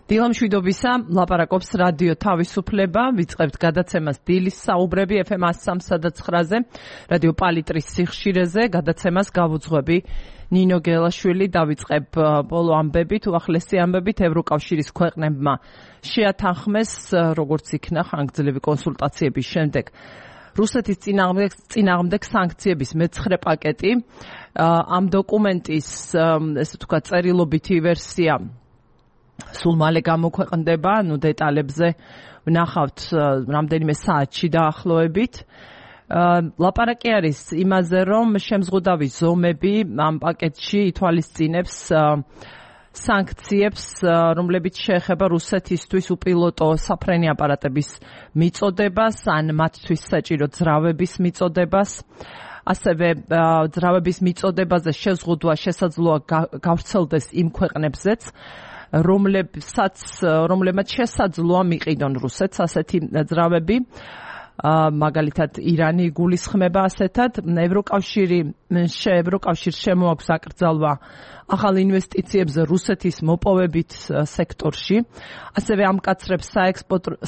დილამშვიდობისა, ლაპარაკობს რადიო თავისუფლება, ვიწყებთ გადაცემას დილის საუბრები FM 103.9-ზე, რადიო პალიტრის სიხშირეზე, გადაცემას გავუძღვები ნინო გელაშვილი, დავიწყებ ბოლო ამბებით, უახლესი ამბებით ევროკავშირის ქვეყნებმა შეათანხმეს, როგორც იქნა ხანგრძლივი კონსულტაციების შემდეგ რუსეთის წინააღმდეგ სანქციების მეცხრე პაკეტი, ამ დოკუმენტის, ესე ვთქვათ, წერილობითი ვერსია სულ მალე გამოქვეყნდება, დეტალებზე ვნახავთ რამდენიმე საათში დაახლოებით. ლაპარაკი არის იმაზე, რომ შემზღუდავი ზომები ამ პაკეტში ითვალისწინებს სანქციებს, რომლებიც შეეხება რუსეთისთვის უპილოტო საფრენი აპარატების მიწოდებას, ან მათთვის საჭირო ძრავების მიწოდებას. ასევე ძრავების მიწოდებაზე შეზღუდვა შესაძლოა გავრცელდეს იმ ქვეყნებზეც, რომლებმაც შესაძლოა მიყიდონ რუსეთს ასეთი ძრავები, მაგალითად ირანი იგულისხმება ასეთად. ევროკავშირს შემოაქვს აკრძალვა ახალ ინვესტიციებზე რუსეთის მოპოვებით სექტორში, ასევე ამკაცრებს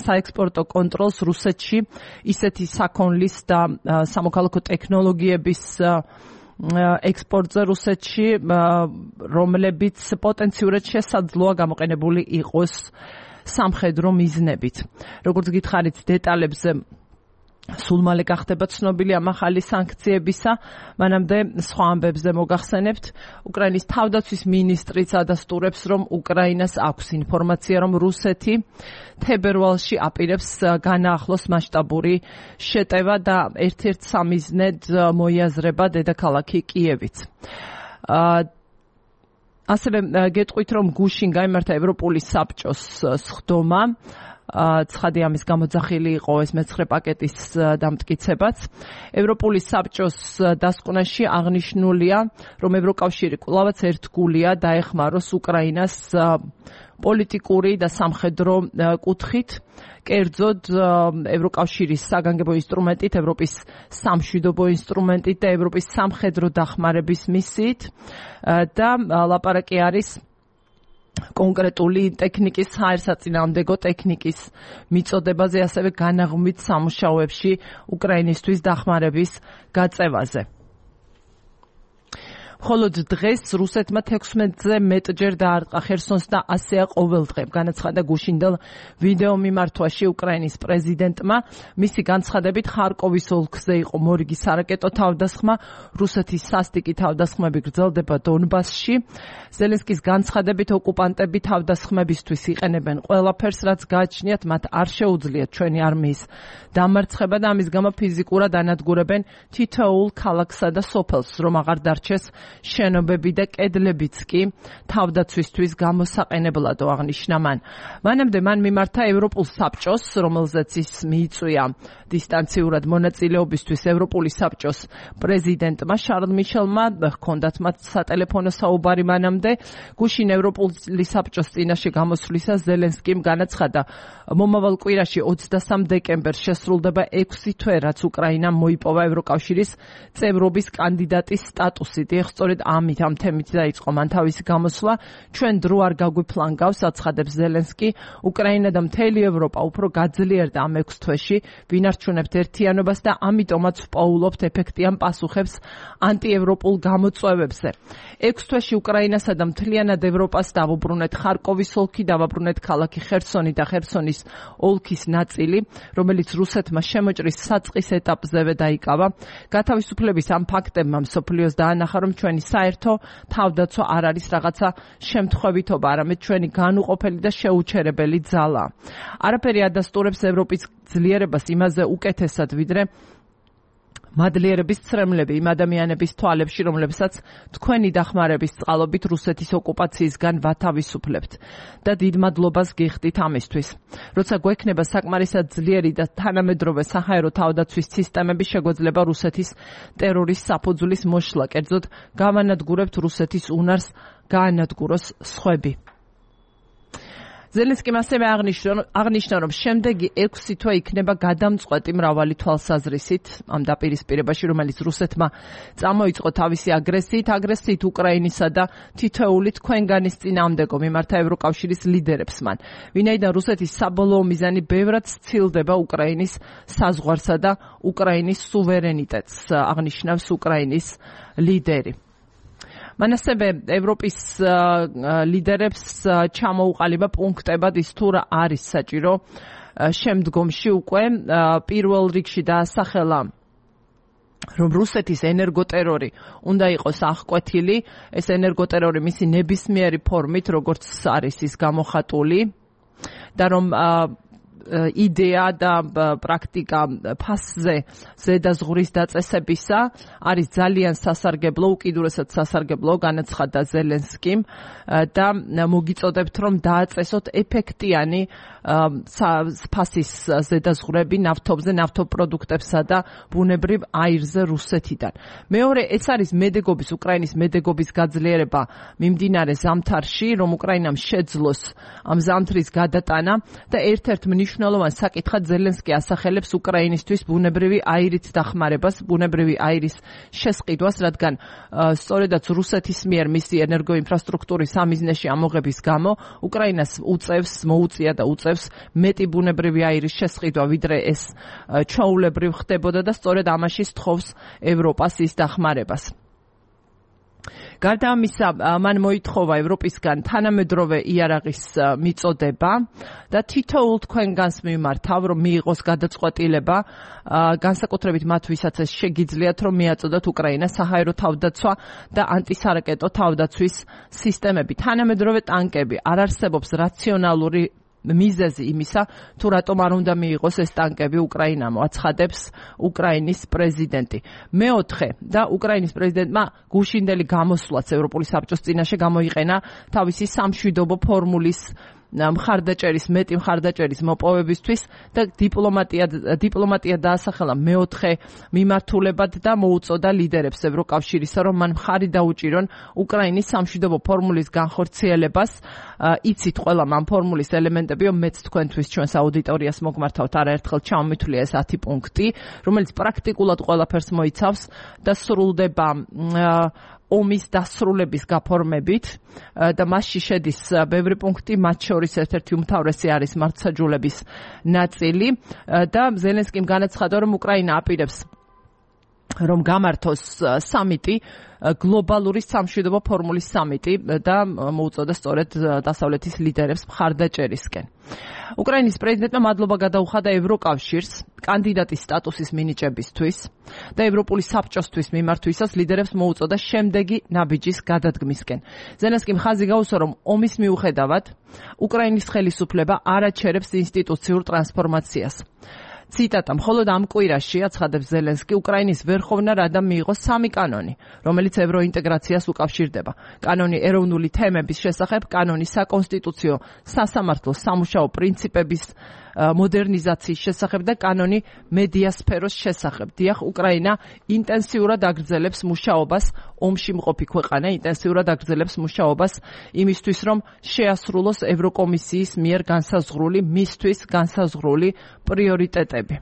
საექსპორტო კონტროლს რუსეთში ისეთი საქონლის და სამოქალაქო ტექნოლოგიების ექსპორტზე რუსეთში, რომლებიც პოტენციურად შესაძლოა გამოყენებული იყოს სამხედრო მიზნებით. როგორც გითხარით, დეტალებზე სულ მალე გახდება ცნობილი ამ ახალი სანქციებისა, მანამდე სხვა ამბებზე მოგახსენებთ. უკრაინის თავდაცვის მინისტრიც ადასტურებს, რომ უკრაინას აქვს ინფორმაცია, რომ რუსეთი თებერვალში აპირებს განაახლოს მასშტაბური შეტევა და ერთ-ერთ სამიზნედ მოიაზრება დედაქალაქი კიევიც. ასევე გეტყვით, რომ გუშინ გაიმართა ევროპული საბჭოს სხდომა, ცხადი ამის გამოძახილი იყო ეს მეცხრე პაკეტის დამტკიცებაც. ევროპული საბჭოს დასკვნაში აღნიშნულია, რომ ევროკავშირი კვლავაც ერთგულია დაეხმაროს უკრაინას პოლიტიკური და სამხედრო კუთხით, კერძოდ ევროკავშირის საგანგებო ინსტრუმენტით, ევროპის სამშვიდობო ინსტრუმენტით და ევროპის სამხედრო დახმარების მისიით და ლაპარაკი არის კონკრეტული ტექნიკის, საერთსაწინააღმდეგო ტექნიკის მიწოდებაზე, ასევე განაღმვით სამუშაოებში უკრაინისთვის დახმარების გაწევაზე. მხოლოდ დღეს რუსეთმა 16-ზე მეტჯერ დაარტყა ხერსონს და ასეა ყოველდღე, განაცხადა გუშინდელ ვიდეო მიმართვაში უკრაინის პრეზიდენტმა. მისი განცხადებით, ხარკოვის ოლქზე იყო მორიგი სარაკეტო თავდასხმა, რუსეთის სასტიკი თავდასხმები გრძელდება დონბასში. ზელენსკის განცხადებით, ოკუპანტები თავდასხმებისთვის იყენებენ ყველაფერს, რაც გააჩნიათ, მათ არ შეუძლიათ ჩვენი არმიის დამარცხება და ამის გამო ფიზიკურად ანადგურებენ თითოეულ ქალაქსა და სოფელს, რომ აღარ დარჩეს შენობები და კედლებიც კი თავდაცვისთვის გამოსაყენებლად აღნიშნა მან. მანამდე მან მიმართა ევროპულ საბჭოს, რომელზეც ის მიიწვია დისტანციურად მონაწილეობისთვის ევროპული საბჭოს პრეზიდენტმა შარლ მიშელმა, ჰქონდათ მათ სატელეფონო საუბარი მანამდე. გუშინ ევროპული საბჭოს წინაშე გამოსვლისას ზელენსკიმ განაცხადა, მომავალ კვირაში 23 დეკემბერს შესრულდება 6 თვე, რაც უკრაინამ მოიპოვა ევროკავშირის წევრობის კანდიდატის სტატუსი. სწორედ ამ თემით დაიწყო მან თავისი გამოსვლა. ჩვენ დრო არ გაგვიფლანგავს, აცხადებს ზელენსკი. უკრაინა და მთელი ევროპა უფრო გაძლიერდა ამ 6 თვეში, ვინარჩუნებთ ერთიანობას და ამიტომაც ვპოულობთ ეფექტიან პასუხებს ანტიევროპულ გამოწვევებზე. 6 თვეში უკრაინასა და მთლიანად ევროპას დავუბრუნეთ ხარკოვის ოლქი, დავუბრუნეთ ქალაქი ხერსონი და ხერსონის ოლქის ნაწილი, რომელიც რუსეთმა შემოჭრის საწყის ეტაპზევე დაიკავა. გათავისუფლების ამ ფაქტებმა მსოფლიოს დაანახა, რომ ჩვენი საერთო თავდაცვა არ არის რაღაცა შემთხვევითობა, არამედ ჩვენი განუყოფელი და შეუჩერებელი ძალა. არაფერი ადასტურებს ევროპის ძლიერებას იმაზე უკეთესად, ვიდრე მადლიერების ცრემლები იმ ადამიანების თვალებში, რომლებსაც თქვენი დახმარების წყალობით რუსეთის ოკუპაციისგან ვათავისუფლებთ და დიდ მადლობას გიხდით ამისთვის. როცა გვექნება საკმარისად ძლიერი და თანამედროვე საჰაერო თავდაცვის სისტემები, შეგვეძლება რუსეთის ტერორის საფუძვლის მოშლა, კერძოდ გავანადგურებთ რუსეთის უნარს გაანადგუროს სხვები. ზელენსკიმ ასევე აღნიშნა, რომ შემდეგი 6 თვე იქნება გადამწყვეტი მრავალი თვალსაზრისით ამ დაპირისპირებაში, რომელიც რუსეთმა წამოიწყო თავისი აგრესიით უკრაინისა და თითოეული თქვენგანის წინააღმდეგო მიმართა ევროკავშირის ლიდერებს მან. ვინაიდან რუსეთის საბოლოო მიზანი ბევრად სცილდება უკრაინის საზღვარსა და უკრაინის სუვერენიტეტს, აღნიშნავს უკრაინის ლიდერი. მან ასევე ევროპის ლიდერებს ჩამოუყალიბა პუნქტებად ის თუ რა არის საჭირო შემდგომში უკვე პირველ რიგში დაასახელა, რომ რუსეთის ენერგოტერორი უნდა იყოს აღკვეთილი, ეს ენერგოტერორი მისი ნებისმიერი ფორმით, როგორც არის ის გამოხატული და რომ იდეა და პრაქტიკა ფასზე ზედაზღვრის დაწესებისა არის ძალიან სასარგებლო, უკიდურესად სასარგებლო, განაცხადა ზელენსკიმ და მოგიწოდებთ, რომ დააწესოთ ეფექტიანი ფასის ზედაზღვრები ნავთობზე, ნავთობპროდუქტებსა და ბუნებრივ აირზე რუსეთიდან. მეორე, ეს არის მედეგობის, უკრაინის მედეგობის გაძლიერება მიმდინარე ზამთარში, რომ უკრაინამ შეძლოს ამ ზამთრის გადატანა და ერთ-ერთ მნიშვნელოვან საკითხად ზელენსკი ასახელებს უკრაინისთვის ბუნებრივი აირით დახმარებას, ბუნებრივი აირის შესყიდვას, რადგან სწორედაც რუსეთის მიერ მისი ენერგოინფრასტრუქტურის სამიზნეში ამოღების გამო უკრაინას მოუწია და უწევს მეტი ბუნებრივი აირის შესყიდვა, ვიდრე ეს ჩვეულებრივ ხდებოდა და სწორედ ამაში სთხოვს ევროპას ის დახმარებას. გარდა ამისა, მან მოითხოვა ევროპისგან თანამედროვე იარაღის მიწოდება და თითოეულ თქვენგანს მიმართავ, რომ მიიღოს გადაწყვეტილება, განსაკუთრებით მათ, ვისაც ეს შეგიძლიათ, რომ მიაწოდოთ უკრაინას საჰაერო თავდაცვა და ანტისარაკეტო თავდაცვის სისტემები. თანამედროვე ტანკები, არ არსებობს რაციონალური მიზეზი იმისა, თუ რატომ არ უნდა მიიღოს ეს ტანკები უკრაინამ, აცხადებს უკრაინის პრეზიდენტი. მეოთხე და უკრაინის პრეზიდენტმა გუშინდელი გამოსვლაც ევროპული საბჭოს წინაშე გამოიყენა თავისი სამშვიდობო ფორმულის მეტი მხარდაჭერის მოპოვებისთვის და დიპლომატია დაასახელა მეოთხე მიმართულებად და მოუწოდა ლიდერებს ევროკავშირისა, რომ მან მხარი დაუჭირონ უკრაინის სამშვიდობო ფორმულის განხორციელებას. იცით ყველამ ამ ფორმულის ელემენტები, მეც თქვენთვის ჩვენს აუდიტორიას მოგმართავთ არაერთხელ ჩამომითვლია ეს 10 პუნქტი, რომელიც პრაქტიკულად ყველაფერს მოიცავს და სრულდება ომის დასრულების გაფორმებით და მასში შედის ბევრი პუნქტი, მათ შორის ერთ-ერთი უმთავრესი არის მართლმსაჯულების ნაწილი და ზელენსკიმ განაცხადა, რომ უკრაინა აპირებს რომ გამართოს სამიტი, გლობალური სამშვიდობო ფორმულის სამიტი და მოუწოდა სწორედ დასავლეთის ლიდერებს მხარდაჭერისკენ. უკრაინის პრეზიდენტმა მადლობა გადაუხადა ევროკავშირს კანდიდატის სტატუსის მინიჭებისთვის და ევროპული საბჭოსთვის მიმართვისას ლიდერებს მოუწოდა შემდეგი ნაბიჯის გადადგმისკენ. ზელენსკიმ ხაზი გაუსვა, რომ ომის მიუხედავად უკრაინის ხელისუფლება არ აჩერებს ინსტიტუციურ ტრანსფორმაციას. ციტატა: მხოლოდ ამ კვირაში, აცხადებს ზელენსკი, უკრაინის ვერხოვნა რადამ მიიღო 3 კანონი, რომელიც ევროინტეგრაციას უკავშირდება. კანონი ეროვნული თემების შესახებ, კანონი საკონსტიტუციო სასამართლო სამუშაო პრინციპების მოდერნიზაციის შესახებ და კანონი მედიასფეროს შესახებ. დიახ, უკრაინა ინტენსიურად აგრძელებს მუშაობას, ომში მყოფი ქვეყანა ინტენსიურად აგრძელებს მუშაობას იმისთვის, რომ შეასრულოს ევროკომისიის მიერ მისთვის განსაზღვრული პრიორიტეტები.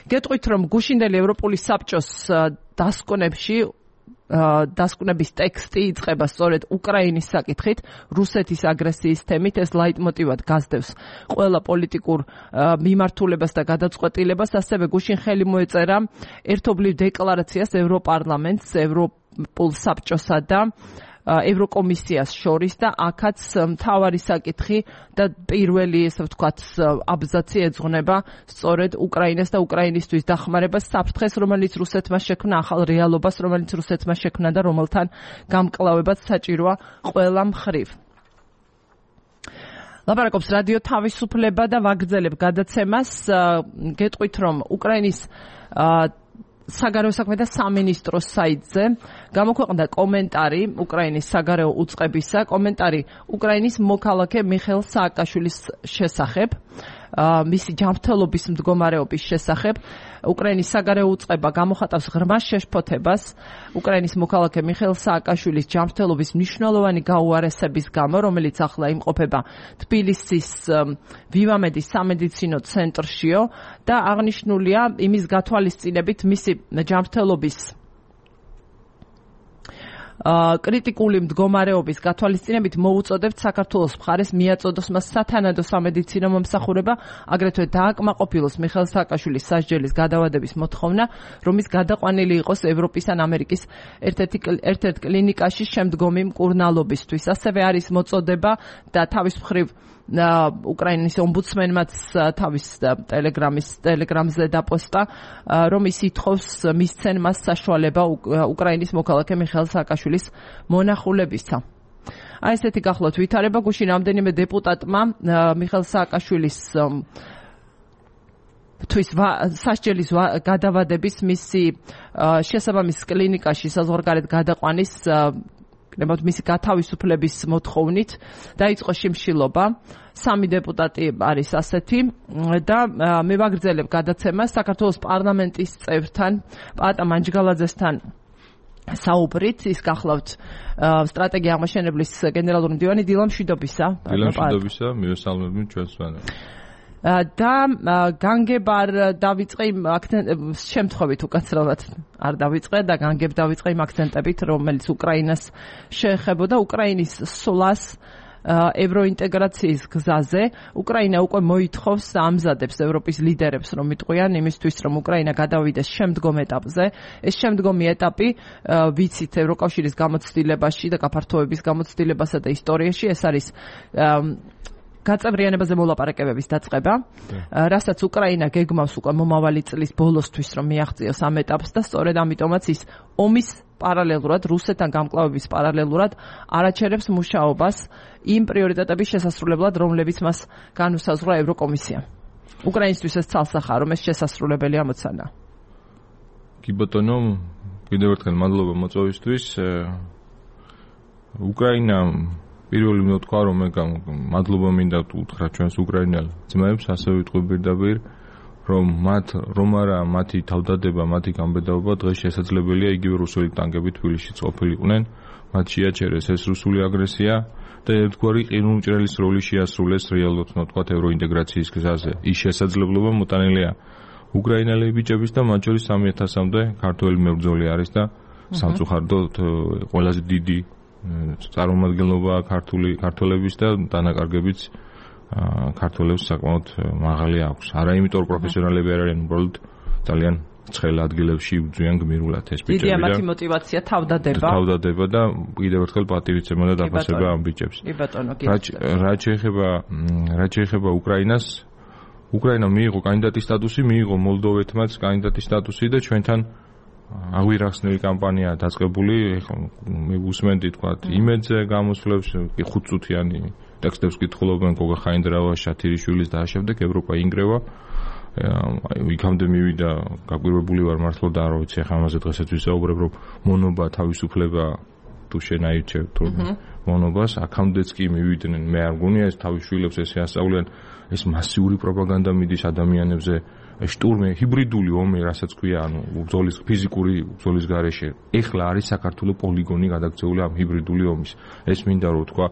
გეტყვით, რომ გუშინდელი ევროპული საბჭოს დასკვნების ტექსტი იწყება სწორედ უკრაინის საკითხით, რუსეთის აგრესიის თემით, ეს ლაიტმოტივად გასდევს ყველა პოლიტიკურ მიმართულებას და გადაწყვეტილებას, ასევე გუშინ ხელი მოეწერა ერთობლივ დეკლარაციას ევროპარლამენტს, ევროპულ საბჭოსა და ევროკომისიას შორის და აქაც მთავარი საკითხი და პირველი, ესე ვთქვათ, აბზაცი ეძღვნება სწორედ უკრაინას და უკრაინისთვის დახმარებას, საფრთხეს, რომელიც რუსეთმა შექმნა, ახალ რეალობას, რომელიც რუსეთმა შექმნა და რომელთან გამკლავებაც საჭიროა ყველა მხრივ. ლაპარაკობს რადიო თავისუფლება და ვაგრძელებ გადაცემას. გეტყვით, რომ უკრაინის საგარეო საქმეთა სამინისტროს საიტზე გამოქვეყნდა კომენტარი უკრაინის საგარეო უწყებისა, კომენტარი უკრაინის მოქალაქე მიხეილ სააკაშვილის შესახებ. მისი ჯანმრთელობის მდგომარეობის შესახებ. უკრაინის საგარეო უწყება გამოხატავს ღრმა შეშფოთებას უკრაინის მოქალაქე მიხეილ სააკაშვილის ჯანმრთელობის მნიშვნელოვანი გაუარესების გამო, რომელიც ახლა იმყოფება თბილისის ვივამედის სამედიცინო ცენტრშიო და აღნიშნულია იმის გათვალისწინებით მისი ჯანმრთელობის კრიტიკული მდგომარეობის გათვალისწინებით მოუწოდებთ საქართველოს მხარეს მიაწოდოს მას სათანადო სამედიცინო მომსახურება, აგრეთვე დააკმაყოფილოს მიხეილ სააკაშვილის სასჯელის გადავადების მოთხოვნა, რომ ის გადაყვანილი იყოს ევროპის ან ამერიკის ერთ-ერთ კლინიკაში შემდგომი მკურნალობისთვის. ასევე არის მოწოდება და თავის მხრივ უკრაინის ომბუდსმენმაც თავის ტელეგრამზე დაპოსტა, რომ ის ითხოვს მისცენ მას საშუალება უკრაინის მოქალაქე მიხეილ სააკაშვილის მონახულებისა. აი ესეთი გახლავთ ვითარება. გუშინ რამდენიმე დეპუტატმა მიხეილ სააკაშვილის სასჯელის გადავადების მისი შესაბამის კლინიკაში საზღვარგარეთ გადაყვანის მისი გათავისუფლების მოთხოვნით დაიწყო შიმშილობა. 3 დეპუტატი არის ასეთი და მე ვაგრძელებ გადაცემას საქართველოს პარლამენტის წევრთან პაატა მანჯგალაძესთან საუბრით. ის გახლავთ სტრატეგია აღმაშენებლის გენერალური მდივანი დილა მშვიდობისა. მივესალმებით ჩვენს ვანას. და განგებარ დავიწყე იმ შემთხვევით უკაცრავად არ დავიწყე და განგებ დავიწყე იმ აქცენტებით, რომელიც უკრაინას შეეხებოდა უკრაინის სვლას ევროინტეგრაციის გზაზე. უკრაინა უკვე მოითხოვს და ამზადებს ევროპის ლიდერებს, რომ იტყვიან იმისთვის, რომ უკრაინა გადავიდეს შემდგომ ეტაპზე. ეს შემდგომი ეტაპი ვიცით ევროკავშირის გამოცდილებაში და გაფართოების გამოცდილებასა და ისტორიაში ეს არის გაწევრიანებაზე მოლაპარაკებების დაწყება, რასაც უკრაინა გეგმავს უკვე მომავალი წლის ბოლოსთვის, რომ მიაღწიოს ამ ეტაპს და სწორედ ამიტომაც ის ომის პარალელურად, რუსეთთან გამკლავების პარალელურად არაჩერებს მუშაობას იმ პრიორიტეტების შესასრულებლად, რომლებიც მას განუსაზღვრა ევროკომისია. უკრაინისთვის ეს ცალსახაა, რომ ეს შესასრულებელი ამოცანა. კი ბატონო, კიდევ ერთხელ მადლობა მოწვევისთვის. უკრაინა პირველი უნდა თქვა, რომ მადლობა მინდა უთხრა ჩვენს უკრაინელ ძმებს, ასევე ვიტყვი პირდაპირ, რომ მათი თავდადება, მათი გამბედაობა დღეს შესაძლებელია იგივე რუსული ტანკებით თბილისში ყოფილიყვნენ, მათ შეაჩერეს ეს რუსული აგრესია და ერთგვარი ყინულმჭრელის როლი შეასრულეს რეალურად უნდა თქვა ევროინტეგრაციის გზაზე. ის შესაძლებლობა მოტანილია უკრაინელი ბიჭების და მათ შორის 3000-მდე ქართველი მებრძოლი არის და სამწუხაროდ ყველაზე დიდი წარმომადგენლობა ქართველების და დანაკარგებიც ქართველებს საკმაოდ მაღალი აქვს. არა იმიტომ რომ პროფესიონალები არ არიან, უბრალოდ ძალიან ცხელ ადგილებში იბრძვიან გმირულად ეს ბიჭები. დიდია მათი мотиваცია თავდადება და კიდევ ერთხელ პატივისცემა და დაფასება ამ ბიჭებს. რაც შეეხება უკრაინას, უკრაინა მიიღო კანდიდატის სტატუსი, მიიღო მოლდოვეთმაც კანდიდატის სტატუსი და ჩვენთან აღვირახსნელი კამპანია დაწყებული. მე უსმენდი თქვა იმედზე გამოსვლებს, 5 წუთიანი ტექსტებს კითხულობენ გოგა ხაინდრავა, შათირიშვილის და შემდეგ ევროპა ინგრევა. იქამდე მივიდა გაკვირვებული ვარ მართლა და არ ვიცი ახლა ამაზე დღესაც ვისაუბრებ, რომ მონობა თავისუფლება თუ შენ აირჩევ თუ მონობას, აქამდეც კი მივიდნენ. მე არ გონია ეს თავისშვილებს ესე ასწავლიან, ეს მასიური პროპაგანდა მიდის ადამიანებზე. შტურმი, ჰიბრიდული ომი, რასაც ქვია, ანუ ბრძოლის ფიზიკური ბრძოლის გარეშე. ეხლა არის საქართველოს პოლიგონი გადაქცეული ამ ჰიბრიდული ომის. ეს მინდა რომ თქვა,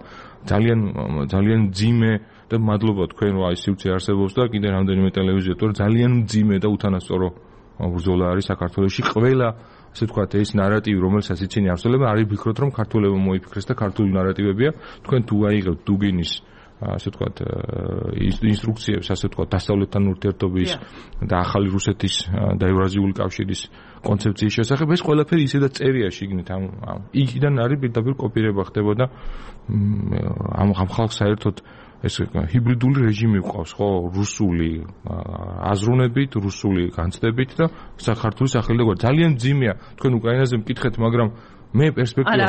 ძალიან ძიმე და მადლობა თქვენ რომ აი სივრცე არსებობს და კიდე რამდენიმე ტელევიზია, თორე ძალიან ძიმე და უთანასწორო ბრძოლა არის საქართველოში. ყველა ასე ვთქვათ, ეს ნარატივი, რომელსაც იცინი არსებობა, არის ვფიქროთ, რომ ქართველებმა მოიფიქრეს და ქართული ნარატივებია. თქვენ თუ აიღებთ დუგინის ასე ვთქვათ ინსტრუქციებს, ასე ვთქვათ, დასავლეთთან ურთიერთობის და ახალი რუსეთის და ევრაზიული კავშირის კონცეფციის შესახებ, ეს ყველაფერი ისედაც წერია შიგნით. იქიდან არის პირდაპირ კოპირება ხდებოდა ამ ხალხს საერთოდ ეს ჰიბრიდული რეჟიმი ყავს, ხო, რუსული აზროვნებით, რუსული განცდებით და საქართველოს სახელი და ძალიან ძიმეა. თქვენ უკრაინაზე მკითხეთ, მაგრამ მე პერსპექტივა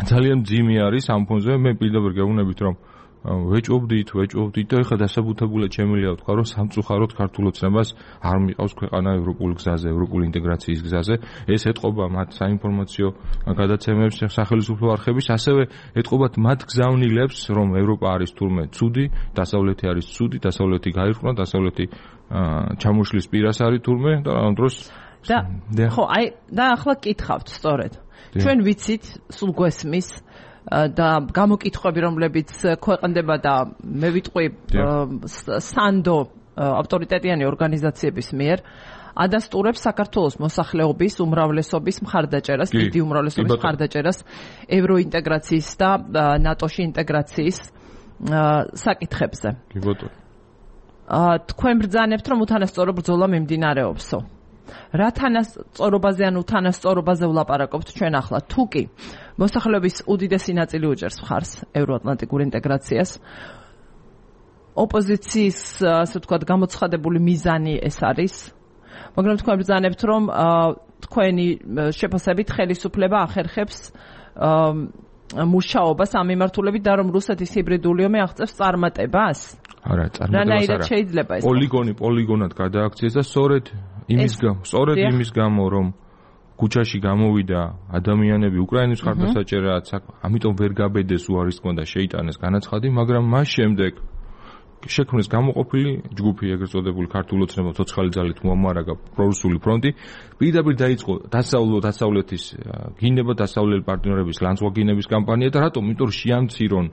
ძალიან ძიმე არის ამ ფონზე. მე პირდაპირ გეუბნებით, რომ ვეჭობდით და ეხლა დასაბუთებულად შემიძლია ვთქვა, რომ სამწუხაროდ ქართულ ოცნებას არ მიყავს ქვეყანა ევროპული გზაზე, ევროპული ინტეგრაციის გზაზე. ეს ეთყობა მათ საინფორმაციო გადაცემებს სახელმწიფო არხების, ასევე ეთყობათ მათ გზავნილებს, რომ ევროპა არის თურმე ცუდი, დასავლეთი არის ცუდი, დასავლეთი გაიხრნა, დასავლეთი ჩამოშლის პირას არის თურმე და ამ დროს ხო, და ახლა კითხავთ სწორედ. ჩვენ ვიცით, სულ გვესმის და გამოკითხვები, რომლებიც ქვეყნდება და მე ვიტყვი სანდო ავტორიტეტიანი ორგანიზაციების მიერ ადასტურებს საქართველოს მოსახლეობის უმრავლესობის მხარდაჭერას, დიდი უმრავლესობის მხარდაჭერას ევროინტეგრაციის და ნატოში ინტეგრაციის საკითხებზე. კი ბატონო. თქვენ ბრძანებთ, რომ უთანასწორო ბრძოლა მიმდინარეობსო. რა თანასწორობაზე ან უთანასწორობაზე ვლაპარაკობთ ჩვენ ახლა? თუ კი მოსახლეობის უდიდესი ნაწილი უჭერს მხარს ევროატლანტიკურ ინტეგრაციას, ოპოზიციის, ასე ვთქვათ, გამოცხადებული მიზანი ეს არის, მაგრამ თქვენ ბრძანებთ, რომ თქვენი შეფასებით ხელისუფლება ახერხებს მუშაობას ამ მიმართულებით და რომ რუსეთის ჰიბრიდული ომი აღწევს წარმატებას? არა, წარმატებას არა. შეიძლება ეს პოლიგონად გადააქციეს და სწორედ იმის გამო, რომ ქუჩაში გამოვიდა ადამიანები უკრაინის მხარდასაჭერად, ამიტომ ვერ გაბედეს უარის თქმა და შეიტანეს განაცხადი, მაგრამ მას შემდეგ შექმნეს გამოყოფილი ჯგუფი, ეგრეთ წოდებული ქართულ ოცნებამ ცოცხალი ძალით მოამარაგა პრორუსული ფრონტი, პირდაპირ დაიწყო დასავლეთის გინება, დასავლელი პარტნიორების ლანცვაგინების კამპანია და რატომ? იმიტომ რომ შეამცირონ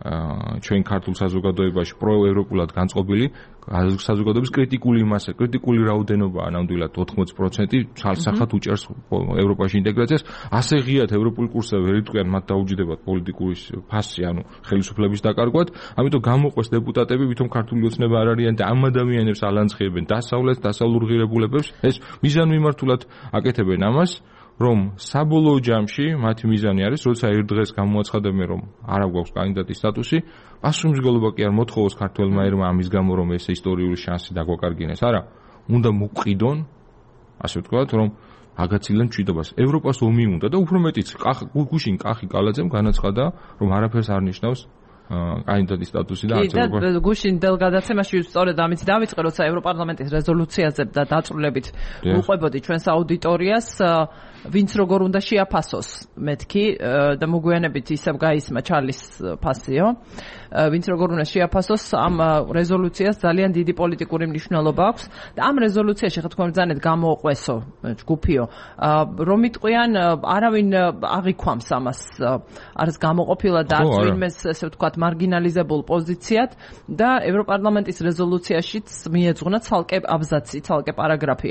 ჩვენ ქართულ საზოგადოებაში პროევროპულად განწყობილი საზოგადოების კრიტიკული მასა, კრიტიკული რაოდენობა, ნამდვილად 80% ცალსახად უჭერს ევროპაში ინტეგრაციას. ასე ღიად ევროპული კურსები ვერ იტყვიან, მათ დაუჯდებათ პოლიტიკური ფასი, ანუ ხელისუფლების დაკარგვად. ამიტომ გამოყვეს დეპუტატები, ვითომ ქართული ოცნება არ არიან და ამ ადამიანებს ალანცხიებენ დასავლურ ღირებულებებს. ეს მიზანმიმართულად აკეთებენ ამას. რომ საბოლოო ჯამში მათი მიზანი არის, როცა ერთ დღეს გამოაცხადებენ, რომ არ აქვს კანდიდატის სტატუსი, პასუხისმგებლობა კი არ მოთხოვოს ქართველმა ერმა ამის გამო, რომ ეს ისტორიული შანსი დაგვაკარგინეს. არა, უნდა მოყიდონ, ასე ვთქვათ, რომ აგაცილონ მშვიდობას. ევროპას ომი უნდა და უფრო მეტიც, გუშინ კახი კალაძემ განაცხადა, რომ არაფერს არ ნიშნავს კანდიდატის სტატუსი და არც და გუშინ დელ გადაცემაში სწორედ ამით დავიწყე, როცა ევროპარლამენტის რეზოლუციაზე და დაწვრილებით უყვებოდი ჩვენს აუდიტორიას, ვინც როგორ უნდა შეაფასოს მეთქი და მოგვიანებით ისევ გაისმა ჩარლის ფასიო, ვინც როგორ უნდა შეაფასოს ამ რეზოლუციას ძალიან დიდი პოლიტიკური მნიშვნელობა აქვს და ამ რეზოლუციაში ხა თქვენ ბრძანეთ გამოუყვესო ჯგუფიო, რომ იტყვიან არავინ აღიქვამს ამას არის გამოყოფილა და არც ვინმეს ესე ვთქვათ მარგინალიზებულ პოზიციად და ევროპარლამენტის რეზოლუციაშიც მიეძღვნა ცალკე აბზაცი, ცალკე პარაგრაფი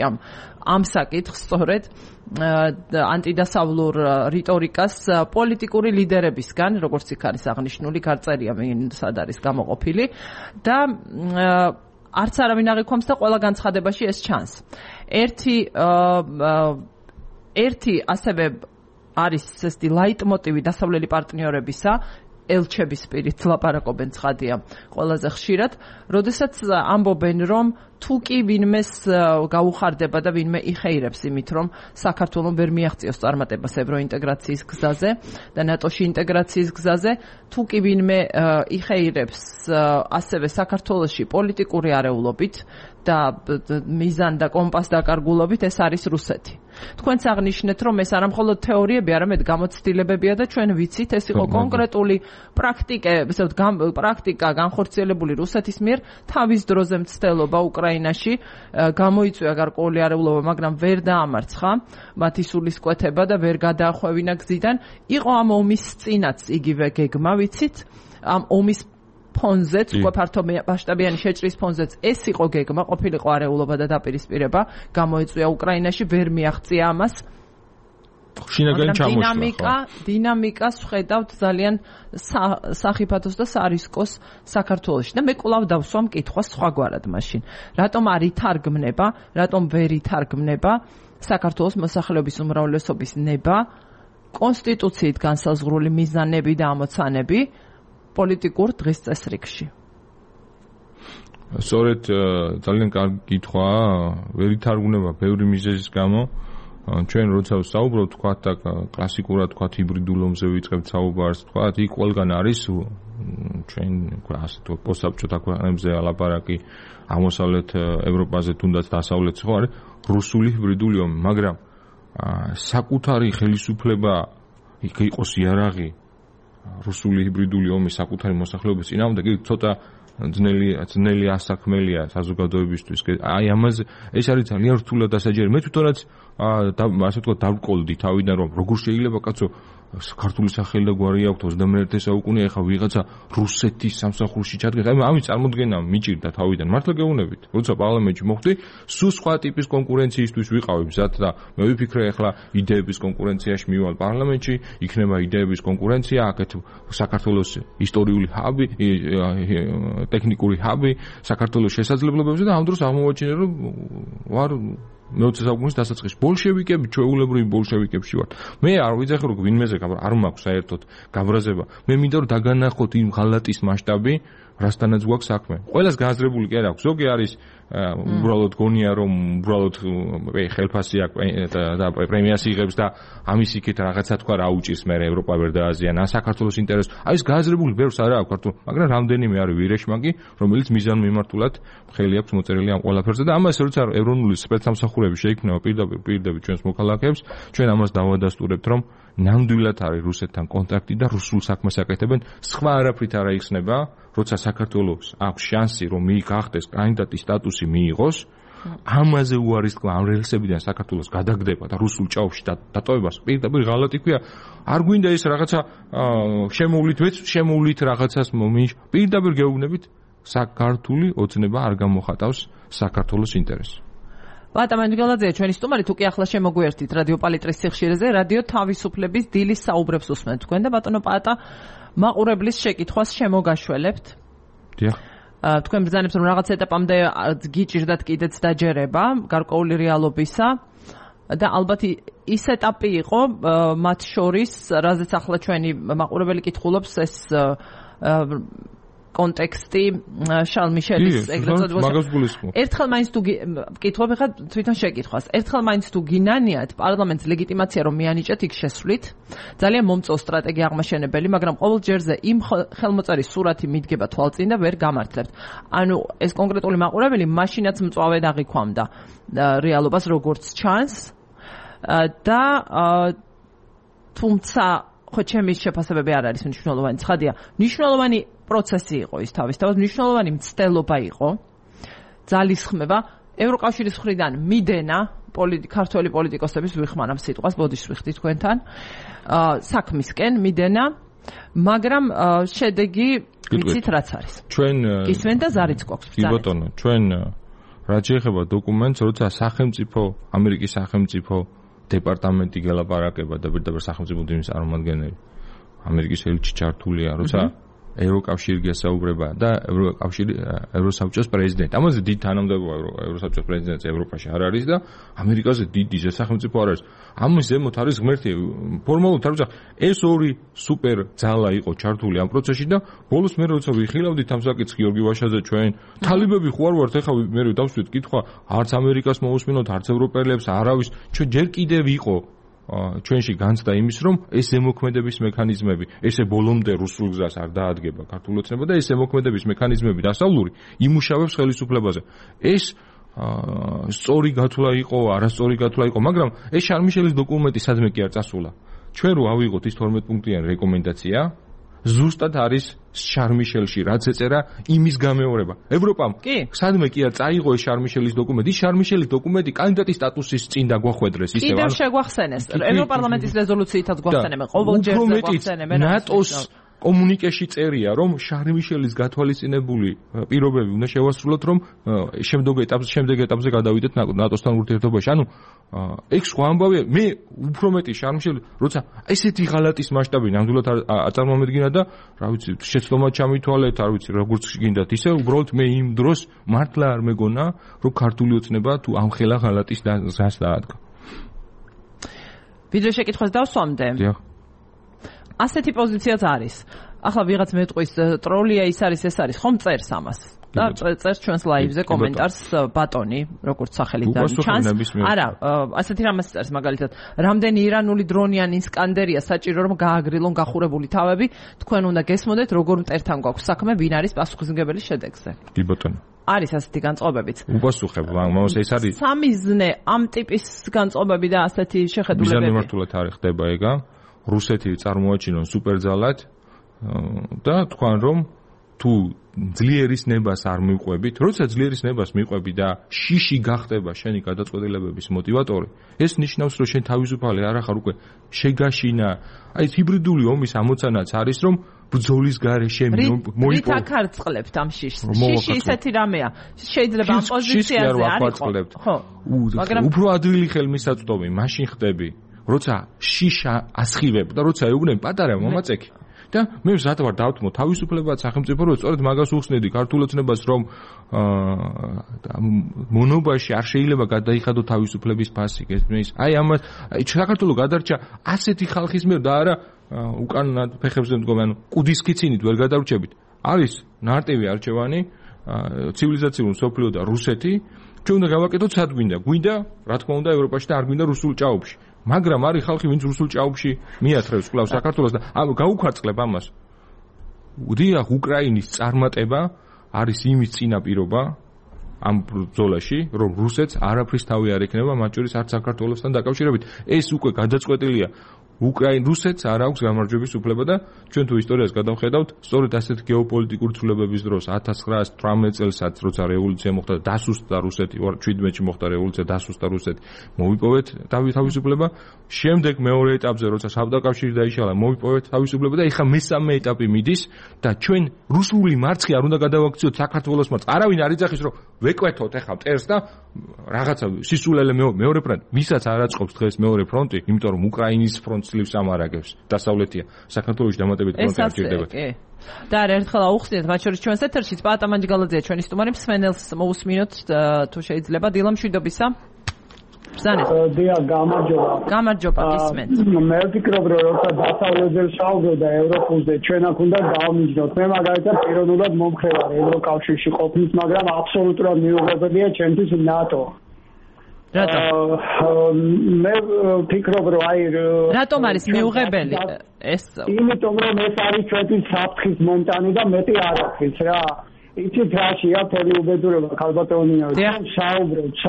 ამ საკითხს სწორედ ანტიდასავლურ რიტორიკას პოლიტიკური ლიდერებისგან, როგორც იქ არის აღნიშნული, გარწერია სად არის გამოყოფილი და არც არავინ აღიქვამს და ყველა განცხადებაში ეს ჩანს. ერთი ასევე არის ესეთი ლაიტმოტივი დასავლელი პარტნიორებისა, ელჩების პირით ლაპარაკობენ ცხადია ყველაზე ხშირად, როდესაც ამბობენ, რომ თუ კი ვინმეს გაუხარდება და ვინმე იხეირებს იმით, რომ საქართველოს ვერ მიაღწიოს წარმატებას ევროინტეგრაციის გზაზე და ნატოში ინტეგრაციის გზაზე, თუ კი ვინმე იხეირებს ასევე საქართველოში პოლიტიკური არეულობით და მიზან და კომპას დაკარგულობით, ეს არის რუსეთი. თქვენც აღნიშნეთ, რომ ეს არა მხოლოდ თეორიები, არამედ გამოცდილებებია და ჩვენ ვიცით, ეს იყო კონკრეტული პრაქტიკა განხორციელებული რუსეთის მიერ თავის დროზე მცდელობა უკრაინაში, გამოიწვია გარკვეული არეულობა, მაგრამ ვერ დაამარცხა მათი სულისკვეთება და ვერ გადაახვევინა გზიდან. იყო ამ ომის წინაც იგივე გეგმა, ვიცით, ამ ომის ფონზეც, უკვე ფართო მასშტაბიანი შეჭრის ფონზეც ეს იყო გეგმა, ყოფილიყო არეულობა და დაპირისპირება, გამოიწვია უკრაინაში, ვერ მიაღწია ამას. შინაგანი ჩამოშლა. დინამიკას ვხედავთ ძალიან სახიფათოს და სარისკოს საქართველოში და მე კვლავ დავსვამ კითხვას სხვაგვარად მაშინ. რატომ არ ითარგმნება, რატომ ვერ ითარგმნება საქართველოს მოსახლეობის უმრავლესობის ნება, კონსტიტუციით განსაზღვრული მიზანები და ამოცანები პოლიტიკურ დღის წესრიგში? სწორედ ძალიან კარგი კითხვაა, ვერ ითარგმნება ბევრი მიზეზის გამო. ჩვენ როცა ვსაუბრობთ, თქვათ და კლასიკურად თქვათ ჰიბრიდულ ომზე ვიწყებთ საუბარს, თქვათ, იქ ყველგან არის ჩვენ ასე თუ პოსტსაბჭოთა ქვეყნებზე ალაპარაკი აღმოსავლეთ ევროპაზე თუნდაც დასავლეთში ხო არის რუსული ჰიბრიდული ომი, მაგრამ საკუთარი ხელისუფლება იყოს იარაღი რუსული ჰიბრიდული ომის საკუთარი მოსახლეობის წინააღმდეგ იგი ცოტა ძნელი ასაქმელია საზოგადოებისთვის. აი ამაზე ეს არის ძალიან რთულად დასაჯერი. მე თვითონაც ასე ვთქვათ დავყოლდი თავიდან რომ როგორ შეიძლება კაცო ქართული სახელი და გვარი აქვს 21 საუკუნე ახლა ვიღაცა რუსეთის სამსახურში ჩადგა. ამის წარმოდგენა მიჭირდა თავიდან. მართლა გეუბნებით. როცა პარლამენტში მოხვდი, სულ სხვა ტიპის კონკურენციისთვის ვიყავი მზად და მე ვიფიქრე ახლა იდეების კონკურენციაში მივალ პარლამენტში, იქნება იდეების კონკურენცია, აქეთ საქართველოს ისტორიული ჰაბი, ტექნიკური ჰაბი, საქართველოს შესაძლებლობებზე და ამ დროს აღმოვაჩინე რომ ვარ მე-20 საუკუნის დასაწყისში ბოლშევიკები, ჩვეულებრივი ბოლშევიკებში ვარ. მე არ ვიძახი რომ ვინმეზე არ მაქვს საერთოდ გაბრაზება. მე მინდა რომ დაგანახოთ იმ ღალატის მასშტაბი, რასთანაც გვაქვს საქმე. ყველას გააზრებული კი არ აქვს. ზოგი არის უბრალოდ გონია რომ უბრალოდ ხელფასი აქვს და პრემიას იღებს და ამის იქით რაღაცა თქვა რა უჭირს მე ევროპა ვერ დააზიანა საქართველოს ინტერესს. არის გააზრებული ბევრს არა აქვს ქართულ, მაგრამ რამდენიმე არის ვირეშმაკი, რომელიც მიზანმიმართულად ხელი აქვს მოწერილი ამ ყველაფერზე და ამას როცა ეროვნული სპეცსამსახურები შეიქმნება პირდაპირ ჩვენს მოქალაქეებს, ჩვენ ამას დავადასტურებთ რომ ნამდვილად არის რუსეთთან კონტაქტი და რუსულ საქმეს აკეთებენ, სხვა არაფრით არ აიხსნება, როცა საქართველოს აქვს შანსი რომ მიიღოს კანდიდატის სტატუსი მიიღოს, ამაზე უარის თქვა ამ რელსებიდან საქართველოს გადაგდება და რუსულ ჭაობში დატოვებას პირდაპირ ღალატი ქვია. არ გვინდა ეს რაღაცა შემოვლით რაღაცას პირდაპირ გეუბნებით საქართველოს ოცნება არ გამოხატავს საქართველოს ინტერესს. ბატა მანჯგალაძე, ჩვენი სტუმარი, თუ კი ახლა შემოგვიერთით რადიო პალიტრის სიხშირეზე, რადიო თავისუფლების დილის საუბრებს უსმენთ თქვენ და ბატონო პატა მაყურებლის შეკითხვას შემოგაშველებთ. დიახ. თქვენ ბრძანებთ რომ რაღაც ეტაპამდე გიჭირდათ კიდეც დაჯერება გარკვეული რეალობისა და ალბათ ის ეტაპი იყო მათ შორის, რაზეც ახლა ჩვენი მაყურებელი კითხულობს ეს კონტექსტი შარლ მიშელის ეგრეთ წოდებულ. ერთხელ მაინც თუ კითხულობ ხა თვითონ შეკითხვას. ერთხელ მაინც თუ გინანიათ პარლამენტს ლეგიტიმაცია რომ მიანიჭეთ იქ შესვლით, ძალიან მომწო სტრატეგია აღმაშენებელი, მაგრამ ყოველ ჯერზე იმ ხელმოწერის სურათი მიდგება თვალწინ და ვერ გამართლებთ. ანუ ეს კონკრეტული მაყურებელი მაშინაც მწვავედ აღიქვამდა რეალობას როგორც ჩანს და თუმცა ხო ჩემი შეფასებები არ არის მნიშვნელოვანი. ცხადია, მნიშვნელოვანი პროცესი იყო ის თავისთავად, მნიშვნელოვანი მცდელობა იყო, ძალისხმევა, ევროკავშირის მხრიდან მიდენა, ქართველი პოლიტიკოსების ვიხმარებ სიტყვას, ბოდიშს ვიხდი თქვენთან, საქმისკენ მიდენა, მაგრამ შედეგი ვიცით რაც არის. ჩვენ გისმენ და ზარიც გვაქვს. კი ბატონო, ჩვენ რაც შეეხება დოკუმენტს, როცა სახელმწიფო, ამერიკის სახელმწიფო დეპარტამენტი გელაპარაკება და პირდაპირ სახელმწიფო დინის წარმომადგენელი ამერიკის ელჩი ჩართულია, როცა ევროკავშირი გასაუბრება და ევროსაბჭოს პრეზიდენტი. ამაზე დიდი თანამდებობა ევროსაბჭოს პრეზიდენტი ევროპაში არ არის და ამერიკაზე დიდი სახელმწიფო არ არის. ამის ზემოთ არის ღმერთი. ფორმალურად არ ვიძახ, ეს ორი სუპერ ძალა იყო ჩართული ამ პროცესში და ბოლოს მე როცა ვიხილავდით ამ საკითხს გიორგი ვაშაძე ჩვენ თალებები ხო არ ვართ, ეხლა მე დავსვით კითხვა, არც ამერიკას მოусმინოთ, არც ევროპელებს, არავის, ჩვენ ჯერ კიდევ იყო ჩვენში განცდა იმის რომ ეს ზემოქმედების მექანიზმები ესე ბოლომდე რუსულ გზას არ დაადგება ქართულ ოცნება და ეს ზემოქმედების მექანიზმები დასავლური იმუშავებს ხელისუფლებაზე. ეს სწორი გათვლა იყო, არასწორი გათვლა იყო, მაგრამ ეს შარლ მიშელის დოკუმენტი სადმე კი არ წასულა. ჩვენ რო ავიღოთ ის 12 პუნქტიანი რეკომენდაცია, ზუსტად არის შარლ მიშელში რაც ეწერა იმის გამეორება. ევროპამ სადმე კი არ წაიღო ეს შარლ მიშელის დოკუმენტი, ის შარლ მიშელის დოკუმენტი კანდიდატის სტატუსის წინ დაგვახვედრეს ისევ. კიდევ შეგვახსენეს. ევროპარლამენტის რეზოლუციითაც გვახსენებენ, ყოველ ჯერზე გვახსენებენ. ნატოს კომუნიკეში წერია, რომ შარლ მიშელის გათვალისწინებული პირობები უნდა შევასრულოთ, რომ შემდეგ ეტაპზე გადავიდეთ ნატოსთან ურთიერთობაში. ანუ ეგ სხვა ამბავია. მე უფრო მეტი შარლ მიშელი, როცა ესეთი ღალატის მასშტაბი ნამდვილად აწარმოამედგინა და რა ვიცი, შეცდომა ჩამითვალეთ, არ ვიცი, როგორც გინდათ, ისე უბრალოდ მე იმ დროს მართლა არ მეგონა, რომ ქართული ოცნება თუ ამ ხელა ღალატის გზას დაადგა. ვიდრე შეკითხვას დავსვამდე. დიახ. ასეთი პოზიციაც არის. ახლა ვიღაც მეტყვის ტროლია ის არის, ეს არის, ხომ წერს ამას. და წერს ჩვენს ლაივზე კომენტარს ბატონი, როგორც სახელით ჩანს. არა, ასეთი რამაც წერს მაგალითად, რამდენი ირანული დრონიანი ისკანდერია საჭირო რომ გააგრილონ გახურებული თავები, თქვენ უნდა გესმოდეთ როგორ მტერთან გვაქვს საქმე, ვინ არის პასუხისმგებელი შედეგზე. კი ბატონო. არის ასეთი განწყობებიც. უპასუხებ, მაგრამ ეს არის სამიზნე ამ ტიპის განწყობები და ასეთი შეხედულებები. მიზანმიმართულად არის ხდება ეგა. რუსეთი წარმოაჩინონ სუპერძალად და თქვენ რომ თუ ძლიერის ნებას არ მიყვებით, როცა ძლიერის ნებას მიყვები და შიში გახდება შენი გადაწყვეტილებების მოტივატორი, ეს ნიშნავს რომ შენ თავისუფალი არ ახარ უკვე შეგაშინა. აი ჰიბრიდული ომის ამოცანაც არის რომ ბრძოლის გარეშე მოიპოვო. რით აკარწყლებთ ამ შიშს? შიში ისეთი რამეა. შეიძლება ამ პოზიციაზე არ იყოთ. ხო. მაგრამ უფრო ადვილი ხელმისაწვდომი მაშინ ხდები, როცა შიშა ასხივებ და როცა ეუბნები პატარა მომაწექი. და მე ვზად ვარ დავთმო თავისუფლებად სახელმწიფო რომ სწორედ მაგას უხსნედი ქართულ ოცნებას რომ მონობაში არ შეიძლება გადაიხადო თავისუფლების ფასი გესმის აი ამას საქართველოს გადარჩა ასეთი ხალხის მიერ და არა უკანონად ფეხებზე მდგომი ანუ კუდის კიცინით ვერ გადავრჩებით არის ნარტივი არჩევანი ცივილიზაციური მსოფლიო და რუსეთი ჩვენ უნდა გავაკეთოთ სად გვინდა რა თქმა უნდა ევროპაში და არ გვინდა რუსულ ჭაობში მაგრამ არის ხალხი ვინც რუსულ ჭაობში მიათრევს კლავს საქართველოს და გაუქვარწყლებ ამას. დიახ, უკრაინის წარმატება არის იმის წინაპირობა ამ ბრძოლაში, რომ რუსეთს არაფრის თავი არ ექნება, მათ შორის არც საქართველოსთან დაკავშირებით. ეს უკვე გადაწყვეტილია. რუსეთს არ აქვს გამარჯვების უფლება და ჩვენ თუ ისტორიას გადავხედავთ, სწორედ ასეთ გეოპოლიტიკური ცვლილებების დროს 1918 წელსაც, როცა რევოლუცია მოხდა და დასუსტდა რუსეთი, 17-ში მოხდა რევოლუცია, დასუსტდა რუსეთი, მოვიპოვეთ თავისუფლება. შემდეგ მეორე ეტაპზე, როცა საბდაკავშირი დაიშალა, მოვიპოვეთ თავისუფლება და ეხლა მესამე ეტაპი მიდის და ჩვენ რუსული მარცხი არ უნდა გადავაქციოთ საქართველოს მარცხს. არავინ არ იძახის, რომ ვეკვეთოთ ეხლა მტერს და რაღაცა სისულელე მეორე ფრონტი. ვისაც არ აწყობს დღეს მეორე ფრონტი, იმიტომ რომ უკრაინის ფრონტს ძლივს ამარაგებს. დასავლეთია. საქართველოში დამატებით ფრონტი არ ჭირდება. და ერთხელ აუხსნით, მათ შორის ჩვენს ეთერში პაატა მანჯგალაძეა ჩვენი სტუმარი, მსმენელს მოусმინოთ თუ შეიძლება. დილა მშვიდობისა. ბრძანეთ. დია გამარჯობა გისმენთ. მე ვფიქრობ რომ როცა დასავლეთზე შევდოდა ევროპულზე ჩვენ აქ უნდა დავმიჯნოთ. მე მაგალითად პიროვნულად მომხრე ვარ ევროკავშირში ყოფნის, მაგრამ აბსოლუტურად მიუღებელია ჩემთვის ნატო. მე ვფიქრობ რომ აი რატომ არის მიუღებელი ეს? იმიტომ რომ ეს არის ჩვენთვის საფრთხის მომტანი და მეტი არ არის რა. იცით რაშია თელი უბედურება ქალბატონია საუბრობთ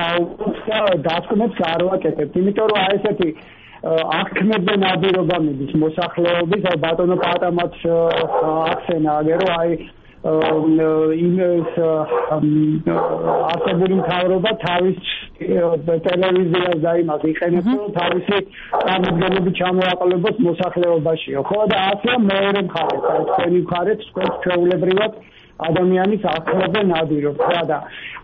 და დასკვნებს არ ვაკეთებთ იმიტომ რომ აი ესეთი აღქმებზე ნადირობა მიდის მოსახლეობის აი ბატონო პაატამაც ახსენა აგერო აი იმის არსებული მთავრობა თავის ტელევიზიას და იმას იყენებს თავისი წარმოდგენები ჩამოაყალიბოს მოსახლეობაშიო ხო და ასე მეორე მხარეს აი თქვენი მხარეს ჩვეულებრივად ადამიანის აღქმაზე ნადირობთ რა და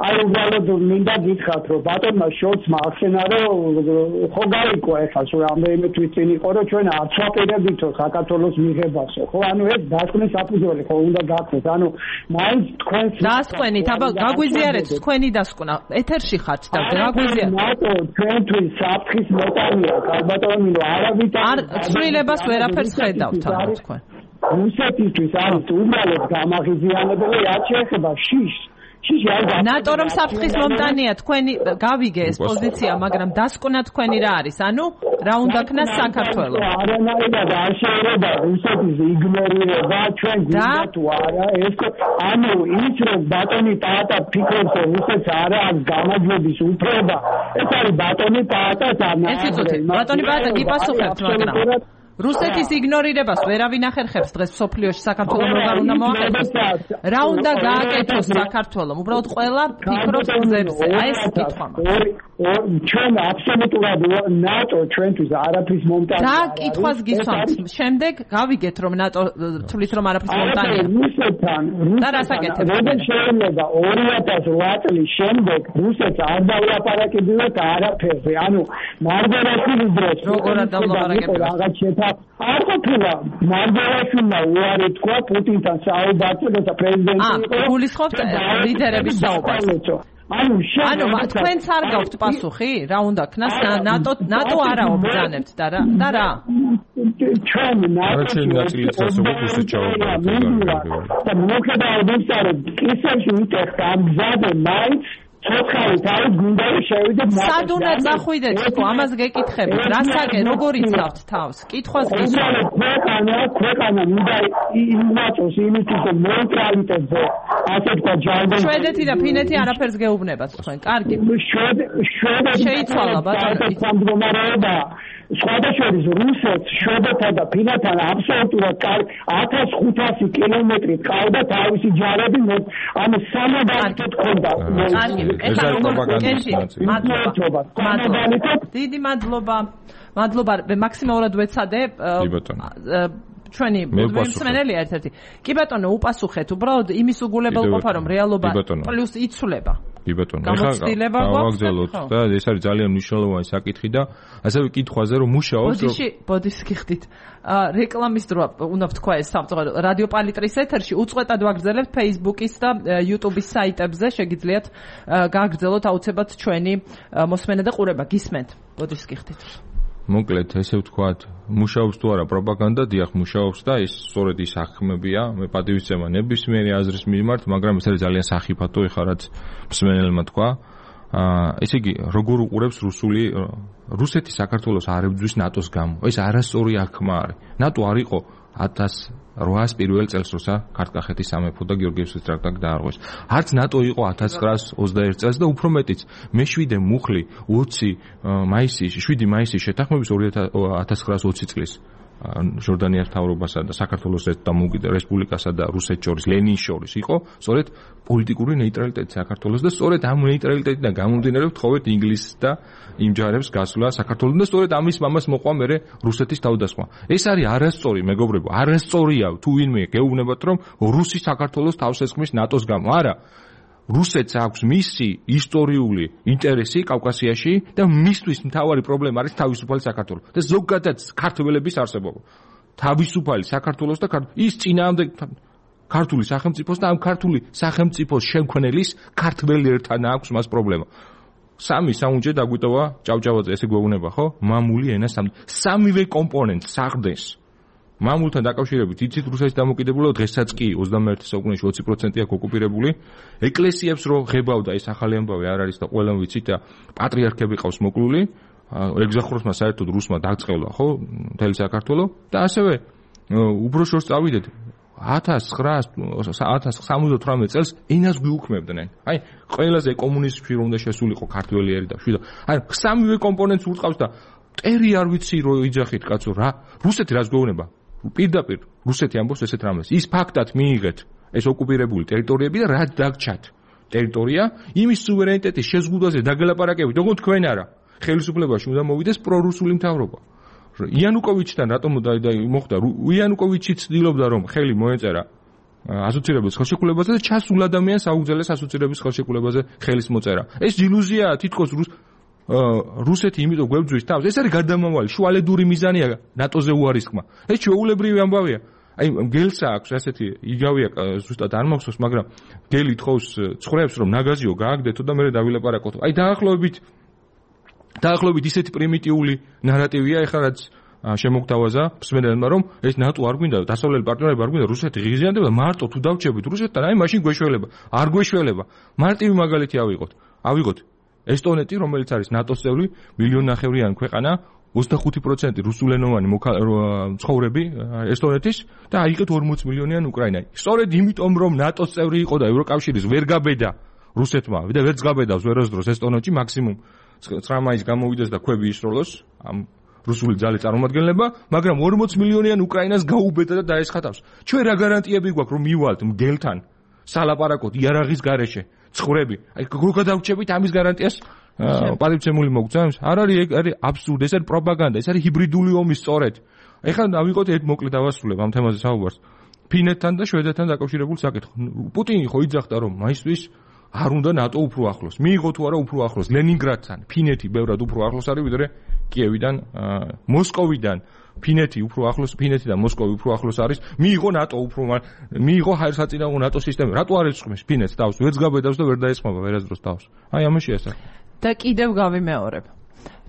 აი უბრალოდ მინდა გითხრათ რომ ბატონმა შორცმა ახსენა რომ ხო გაიგო ეხლა სულ რამდენიმე თვის წინ იყო რომ ჩვენ არ ვაპირებითო საქართველოს მიღებასო ხო ანუ ეს დასკვნის საფუძველი ხო უნდა გახდეს ანუ მაინც თქვენს დასკვნით აბა გაგვიზიარეთ თქვენი დასკვნა ეთერში ხართ და გაგვიზიარეთ ნატო ჩვენთვის საფრთხის მოტანია ბატონო არავით არ ცვლილებას ვერაფერს ხედავთ ანუ თქვენ რუსეთისთვის არის უბრალოდ გამაღიზიანებელი რაც შეეხება შიშს ნატო რომ საფრთხის მომტანია თქვენი გავიგე ეს პოზიცია მაგრამ დასკვნა თქვენი რა არის ანუ რა უნდა ქნას საქართველოს არანაირად არ შეიძლება რუსეთის იგნორირება ჩვენ გვინდა თუ არა ეს ანუ ის რომ ბატონი პაატა ფიქრობს რომ რუსეთს არა აქვს გამარჯვების უფლება ეს არის ბატონი პაატას ბატონი პაატა გიპასუხებთ მაგრამ რუსეთის იგნორირებას ვერავინ ახერხებს დღეს სოფლიოში საქართველოს როგორ უნდა მოახერხოს რა უნდა გააკეთოს საქართველოს უბრალოდ ყველა ფიქრობს გზებზე აი ეს კითხვა ჩვენ აბსოლუტურად ნატო ჩვენთვის არაფრის მომტანი და კითხვას გისვამთ შემდეგ გავიგეთ რომ ნატო თulis რომ არაფრის მომტანია რუსეთთან და რას აკეთებს როგორ შეიძლება 2008 წლის შემდეგ რუსეთს არ დაულაპარაკებინათ არაფერზე ანუ მარგარაშვილის დროს როგორ არ დაულაპარაკებინათ რაღაც არ ყოფილა მარგარაშვილმა უარი თქვა პუტინთან საუბარზე და პრეზიდენტი იყო გულისხმობთ ლიდერების საუბარს ანუ თქვენც არ გაქვთ პასუხი რა უნდა ქნას ნატო არაო ბრძანებთ და რა ჩვენ ნაწილიც რუსეთს ჩავაბარეთ და მოხდა ისე ისე უტეხა ამ გზაზე მაინც ცოცხალი თავი გუნდა შევიდეთ სად უნდა წახვიდეთ თქო ამას გეკითხებით რასაკენ როგორ იცავთ თავს კითხვას გისურვებთ ქვეყანა უნდა იმაწოს იმისთვის რომ ნეიტრალიტეტზე ასე თქვა ჯარდენ შვედეთი და ფინეთი არაფერს გეუბნებათ თქვენ კარგი შეიცვალა ბატონო სხვადასხვა რუსეთს შვედეთთან და ფინეთთან აბსოლუტურად 1500 კილომეტრი ყავდა თავისი ჯარები ამ სამადანით ქონდა დიდი მადლობა მაქსიმალურად ვეცადე ჩვენი მსმენელია ერთ-ერთი კი ბატონო უპასუხეთ უბრალოდ იმის უგულებელყოფა რომ რეალობა პლუს იცვლება კი ბატონო ეხლა გავაგზავნოთ და ეს არის ძალიან მნიშვნელოვანი საკითხი და ასევე კითხვაზე რომ მუშაობს ბოდიში გიხდით რეკლამის დრო უნდა ვთქვა ეს სამწუხარო რადიო პალიტრის ეთერში უწყვეტად ვაგრძელებთ Facebook-ის და YouTube-ის საიტებზე შეგიძლიათ გააგრძელოთ აუცილებლად ჩვენი მოსმენა და ყურება გისმენთ ბოდიში გიხდით მოკლედ ესე ვთქვათ მუშაობს თუ არა პროპაგანდა დიახ მუშაობს და ეს სწორედ ის აღქმებია მე პატივისცემა ნებისმიერი აზრის მიმართ მაგრამ ეს არის ძალიან სახიფათო ეხლა რაც მსმენელმა თქვა ესე იგი როგორ უყურებს რუსეთი საქართველოს არ ებრძვის ნატოს გამო ეს არასწორი აღქმა არის ნატო არ იყო 1800 პირველ წელს როცა ქართლ-კახეთის სამეფო და გიორგიევსკის ტრაქტატი დაარღვეს. არც ნატო იყო 1921 წელს და უფრო მეტიც მე-7 მუხლი 7 მაისის შეთანხმების 1920 წლის ჟორდანიას მთავრობასა და საქართველოს დამოუკიდებელ რესპუბლიკასა და რუსეთს შორის ლენინს შორის იყო სწორედ პოლიტიკური ნეიტრალიტეტი საქართველოს და სწორედ ამ ნეიტრალიტეტიდან გამომდინარე ვთხოვეთ ინგლისს და იმ ჯარებს გასვლა საქართველოს და სწორედ ამის მამას მოყვა მე რუსეთის თავდასხმა. ეს არის არასწორი მეგობრებო, არასწორია თუ ვინმე გეუბნებათ რომ რუსი საქართველოს თავს ესხმის ნატოს გამო. არა. რუსეთს აქვს მისი ისტორიული ინტერესი კავკასიაში და მისთვის მთავარი პრობლემა არის თავისუფალი საქართველო და ზოგადად ქართველების არსებობა. თავისუფალი საქართველოს და ის წინააღმდეგ ქართული სახელმწიფოს და ამ ქართული სახელმწიფოს შემქმნელის ქართველებთან აქვს მას პრობლემა. სამი საუნჯე დაგვიტოვა ჭავჭავაძე ესე გვეუბნება ხო? მამული ენა სამივე კომპონენტს საყრდენს მამულთან დაკავშირებით იცით რუსეთის დამოუკიდებლობა დღესაც კი 21 საუკუნეში 20% აქვს ოკუპირებული ეკლესიებს რო ღებავდა ეს ახალი ამბავი არ არის და ყველამ ვიცით და პატრიარქები ყავს მოკლული ეგზახუროსმა საერთოდ რუსმა დაწყევლა ხო მთელი საქართველო და ასევე უფრო შორს წავიდეთ 1978 წელს ენას გვიუქმებდნენ აი ყველაზე კომუნისტში რომ უნდა შესულიყო ქართველიერი და შვიდა აი სამივე კომპონენტს ურწყავს და ტერი არ ვიცი რო იძახით კაცო რა რუსეთი რას გვეუბნება პირდაპირ რუსეთი ამბობს ესეთ რამეს ის ფაქტად მიიღეთ ეს ოკუპირებული ტერიტორიები და რა დაგჩათ ტერიტორია იმის სუვერენიტეტის შეზღუდვაზე დაგელაპარაკებით როგორც თქვენ არა ხელისუფლებაში უნდა მოვიდეს პრორუსული მთავრობა იანუკოვიჩთან რატომ მოხდა იანუკოვიჩი ცდილობდა რომ ხელი მოეწერა ასოცირების ხელშეკრულებაზე და ჩასულ ადამიანს აუგზელეს ასოცირების ხელშეკრულებაზე ხელის მოწერა ეს ილუზიაა თითქოს რუსეთი იმიტომ გვებძვის თავს ეს არის გარდამავალი შუალედური მიზანია ნატოზე უარისკმა ეს ჩვეულებრივი ამბავია აი გელსა აქვს ასეთი იგავია ზუსტად არ მახსოვს მაგრამ გელი თხოვს ცხრებს რომ ნაგაზიო გააგდეთო და მე დავილაპარაკოთ აი დაახლოებით ისეთი პრიმიტიული ნარატივია ეხლა რაც შემოგთავაზა მსმენელმა რომ ეს ნატო არ გვინდა დასავლელი პარტნიორები არ გვინდა რუსეთი ღიზიანდება მარტო თუ დავჭებით რუსეთთან აი მაშინ გვეშველება არ გვეშველება მარტივი მაგალითი ავიღოთ ესტონეთი რომელიც არის ნატოს წევრი მილიონნახევრიანი ქვეყანა 25% რუსულენოვანი ცხოვრები ესტონეთის და აიღეთ 40 მილიონიანი უკრაინა სწორედ იმიტომ რომ ნატოს წევრი იყო და ევროკავშირის ვერ გაბედა რუსეთმა და ვერც გაბედავს ვერასდროს ესტონეთში მაქსიმუმ 9 მაისს გამოვიდეს და ქვები ისროლოს ამ რუსული ძალის წარმომადგენლება მაგრამ 40 მილიონიან უკრაინას გაუბედა და დაესხათავს ჩვენ რა გარანტიები გვაქვს რომ მივალთ მგელთან სალაპარაკოთ იარაღის გარეშე ცხოვრები აი როგორ დავჭებით ამის გარანტიას პატივცემული მოგწევს არ არის აბსურდი ეს არის პროპაგანდა ეს არის ჰიბრიდული ომი სწორედ ეხლა დავიღოთ ერთ მოკლედ დავასრულებ ამ თემაზე საუბარს ფინეთთან და შვედეთთან დაკავშირებულ საკითხს პუტინი ხო იძახდა რომ მაისთვის არ უნდა ნატო უფრო ახლოს მიიღო თუ არა უფრო ახლოს ლენინგრადთან ფინეთი ბევრად უფრო ახლოს არის ვიდრე კიევიდან, მოსკოვიდან ფინეთი უფრო ახლოს, ფინეთიდან მოსკოვი უფრო ახლოს არის, მიიღო ნატო მიიღო საერთაშორისო ნატო სისტემა. რატო არ ეწყმის ფინეთს თავს? ვერც გაბედავს და ვერ დაესხმება ვერასდროს თავს. აი ამაში ესა. და კიდევ გავიმეორებ.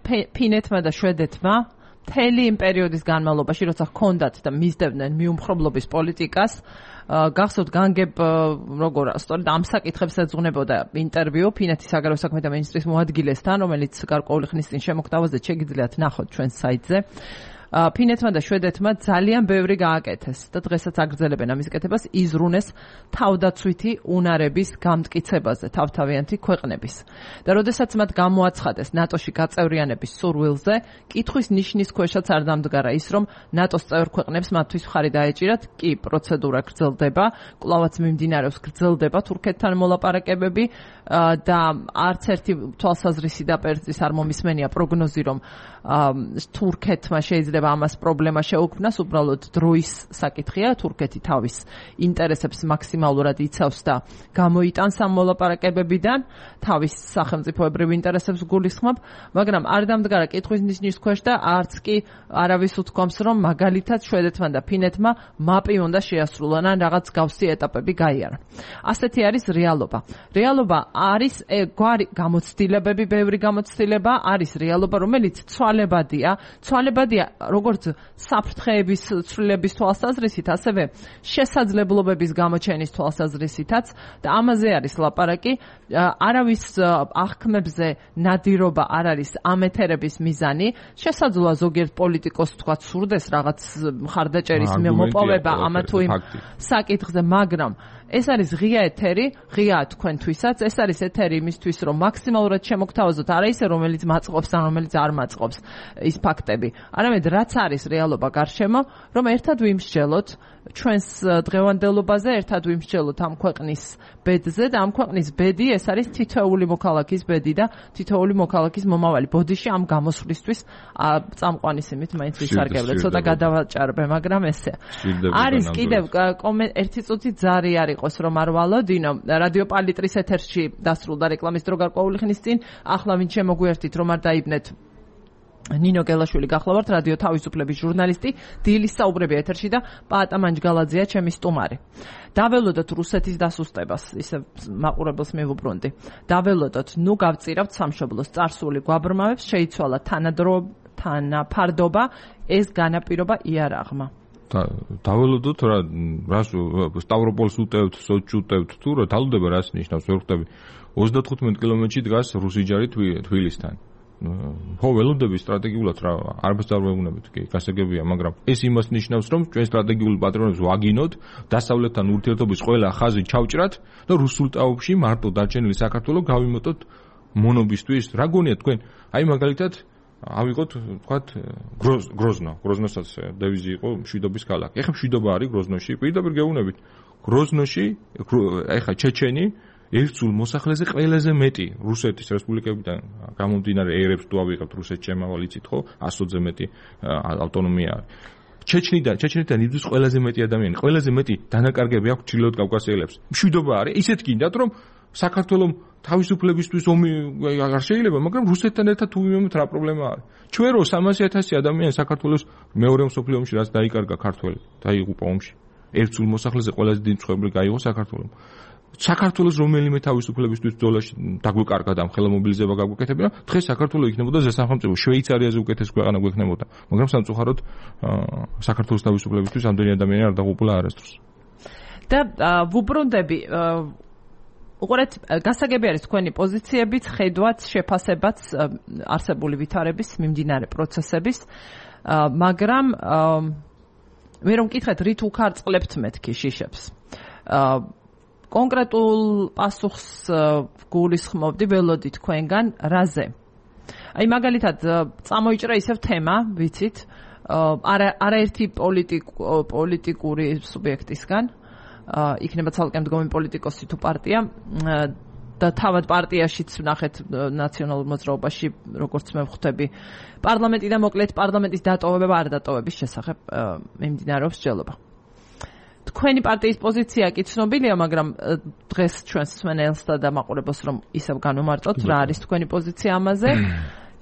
ფინეთმა და შვედეთმა მთელი იმ პერიოდის განმავლობაში, როცა ჰქონდათ და მისდევდნენ მიუმხრობლობის პოლიტიკას, გახსოვთ განგებ როგორ სწორედ ამ საკითხებს ეძღვნებოდა ინტერვიუ ფინეთის საგარეო საქმეთა მინისტრის მოადგილესთან, რომელიც გარკვეული ხნის წინ შემოგვთავაზა, შეგიძლიათ ნახოთ ჩვენს საიტზე. ფინეთმა და შვედეთმა ძალიან ბევრი გააკეთეს და დღესაც აგრძელებენ ამის კეთებას, იზრუნეს თავდაცვითი უნარების გამტკიცებაზე თავთავიანთი ქვეყნების. და როდესაც მათ გამოაცხადეს ნატოში გაწევრიანების სურვილზე, კითხვის ნიშნის ქვეშაც არ დამდგარა ის, რომ ნატოს წევრ ქვეყნებს მათთვის მხარი დაეჭირათ, კი პროცედურა გრძელდება, კვლავაც მიმდინარეობს გრძელდება თურქეთთან მოლაპარაკებები და არც ერთი თვალსაზრისი და პერწის არ მომისმენია პროგნოზი, რომ თურქეთმა შეიძლება ამას პრობლემა შეუქმნას, უბრალოდ დროის საკითხია, თურქეთი თავის ინტერესებს მაქსიმალურად იცავს და გამოიტანს ამ მოლაპარაკებებიდან, თავის სახელმწიფოებრივ ინტერესებს გულისხმობ, მაგრამ არ დამდგარა კითხვის ნიშნის ქვეშ და არც კი არავის უთქვამს, რომ მაგალითად შვედეთმა და ფინეთმა მაპი უნდა შეასრულონ ან რაღაც გავსი ეტაპები გაიარონ. ასეთი არის რეალობა. რეალობა არის გვარი გამოცდილებები, ბევრი გამოცდილება, არის რეალობა, რომელიც ცვალებადია როგორც საფრთხეების ცვლილების თვალსაზრისით, ასევე შესაძლებლობების გამოჩენის თვალსაზრისითაც და ამაზე არის ლაპარაკი. არავის აღქმებზე ნადირობა არ არის ამ ეთერების მიზანი. შესაძლოა ზოგიერთ პოლიტიკოს თქვა სურდეს რაღაც მხარდაჭერის მოპოვება ამა თუ იმ საკითხზე, მაგრამ ეს არის ღია ეთერი, ღია თქვენთვისაც, ეს არის ეთერი იმისთვის, რომ მაქსიმალურად შემოგთავაზოთ, არა ისე რომელიც მაწყობს ან რომელიც არ მაწყობს ის ფაქტები, არამედ რაც არის რეალობა გარშემო, რომ ერთად ვიმსჯელოთ ჩვენს დღევანდელობაზე, ერთად ვიმსჯელოთ ამ ქვეყნის ბედზე და ამ ქვეყნის ბედი ეს არის თითოეული მოქალაქის ბედი და თითოეული მოქალაქის მომავალი. ბოდიში ამ გამოსვლისთვის წამყვანისიმით მაინც ვისარგებლე, ცოტა გადავაჭარბე, მაგრამ ესე. არის კიდევ ერთი წუთი ძარი არ იყოს რომ არ ვალოდინო. რადიო პალიტრის ეთერში დასრულდა რეკლამის დრო გარკვეული ხნის წინ, ახლა ვინ შემოგვიერთით რომ არ დაიბნეთ ნინო გელაშვილი გახლავართ, რადიო თავისუფლების ჟურნალისტი, დილის საუბრები ეთერში და პაატა მანჯგალაძეა ჩემი სტუმარი. დაველოდოთ რუსეთის დასუსტებას, ისე მაყურებელს მივუბრუნდი. დაველოდოთ, ნუ გავწირავთ სამშობლოს წარსული გვაბრმავებს, შეიცვალა თანაფარდობა, ეს განაპირობა იარაღმა. დაველოდოთ რა სტავროპოლს უტევთ, სოჩი უტევთ, თუ რა თალდება რას ნიშნავს, ვერ ხვდები. 35 კილომეტრში დგას რუსი ჯარი თბილისთან. ხო, ველოდები სტრატეგიულად რა, არც არ ვეუბნებით, კი, გასაგებია, მაგრამ ეს იმას ნიშნავს, რომ ჩვენ სტრატეგიულ პატრონებს ვაგინოთ, დასავლეთთან ურთიერთობის ყველა ხაზი ჩავჭრათ და რუსულ ტაობში მარტო დარჩენილი საქართველოს გავიმოტოთ მონობისთვის. რა გონიათ თქვენ? აი მაგალითად ავიღოთ, თქვათ, გროზნოსაც დევიზი იყო მშვიდობის ქალაქი. ეხლა მშვიდობა არის გროზნოში, პირდაპირ გეუბნებით. გროზნოში, ეხლა ჩეჩენი ერთსულ მოსახლეზე ყველაზე მეტი რუსეთის რესპუბლიკებიდან გამომდინარე ერებს თუ ავიღებთ რუსეთს შემავალ იცით ხო 100-ზე მეტი ავტონომია ჩეჩნიდან იბრძვის ყველაზე მეტი ადამიანი, ყველაზე მეტი დანაკარგები აქვს ჩრდილოეთ კავკასიელებს. მშვიდობა არის, ისეთ გინდათ რომ საქართველოს თავისუფლებისთვის ომი არ შეიძლება, მაგრამ რუსეთთან ერთად თუ ვიმეოთ რა პრობლემა არის. ჩვენ რო 300,000 ადამიანი საქართველოს მეორე მსოფლიო ომში რაც დაიკარგა ქართველი, დაიღუპა ომში. ერთსულ მოსახლეზე ყველაზე დიდი მწვერვალი გაიღო საქართველოს. საქართველოს რომელიმე თავისუფლებისთვის ბრძოლაში დაგვეკარგა და ხელა მობილიზება გაგვეკეთებინა, დღეს საქართველოს იქნებოდა ზესახელმწიფო, შვეიცარიაზე უკეთეს ქვეყანა გვექნებოდა, მაგრამ სამწუხაროდ საქართველოს თავისუფლებისთვის ამდენი ადამიანი არ დაღუპულა არასდროს. და ვუბრუნდები უყურეთ, გასაგები არის თქვენი პოზიციებიც, ხედვაც, შეფასებაც არსებული ვითარების, მიმდინარე პროცესების, მაგრამ მე რომ მკითხეთ, რით უკარწყლებთ მეთქი შიშებს. კონკრეტულ პასუხს გულისხმობდი ველოდი თქვენგან რაზე. აი მაგალითად წამოიჭრა ისევ თემა, ვიცით, არაერთი პოლიტიკური სუბიექტისგან, იქნება ცალკე მდგომი პოლიტიკოსი თუ პარტია და თავად პარტიაშიც ვნახეთ ნაციონალურ მოძრაობაში, როგორც მე ვხვდები, პარლამენტი და მოკლედ პარლამენტის დატოვება არ დატოვების შესახებ მიმდინარეობს მსჯელობა. თქვენი პარტიის პოზიცია კი ცნობილია, მაგრამ დღეს ჩვენს მსმენელსა და მაყურებელს რომ ისევ განვმარტოთ, რა არის თქვენი პოზიცია ამაზე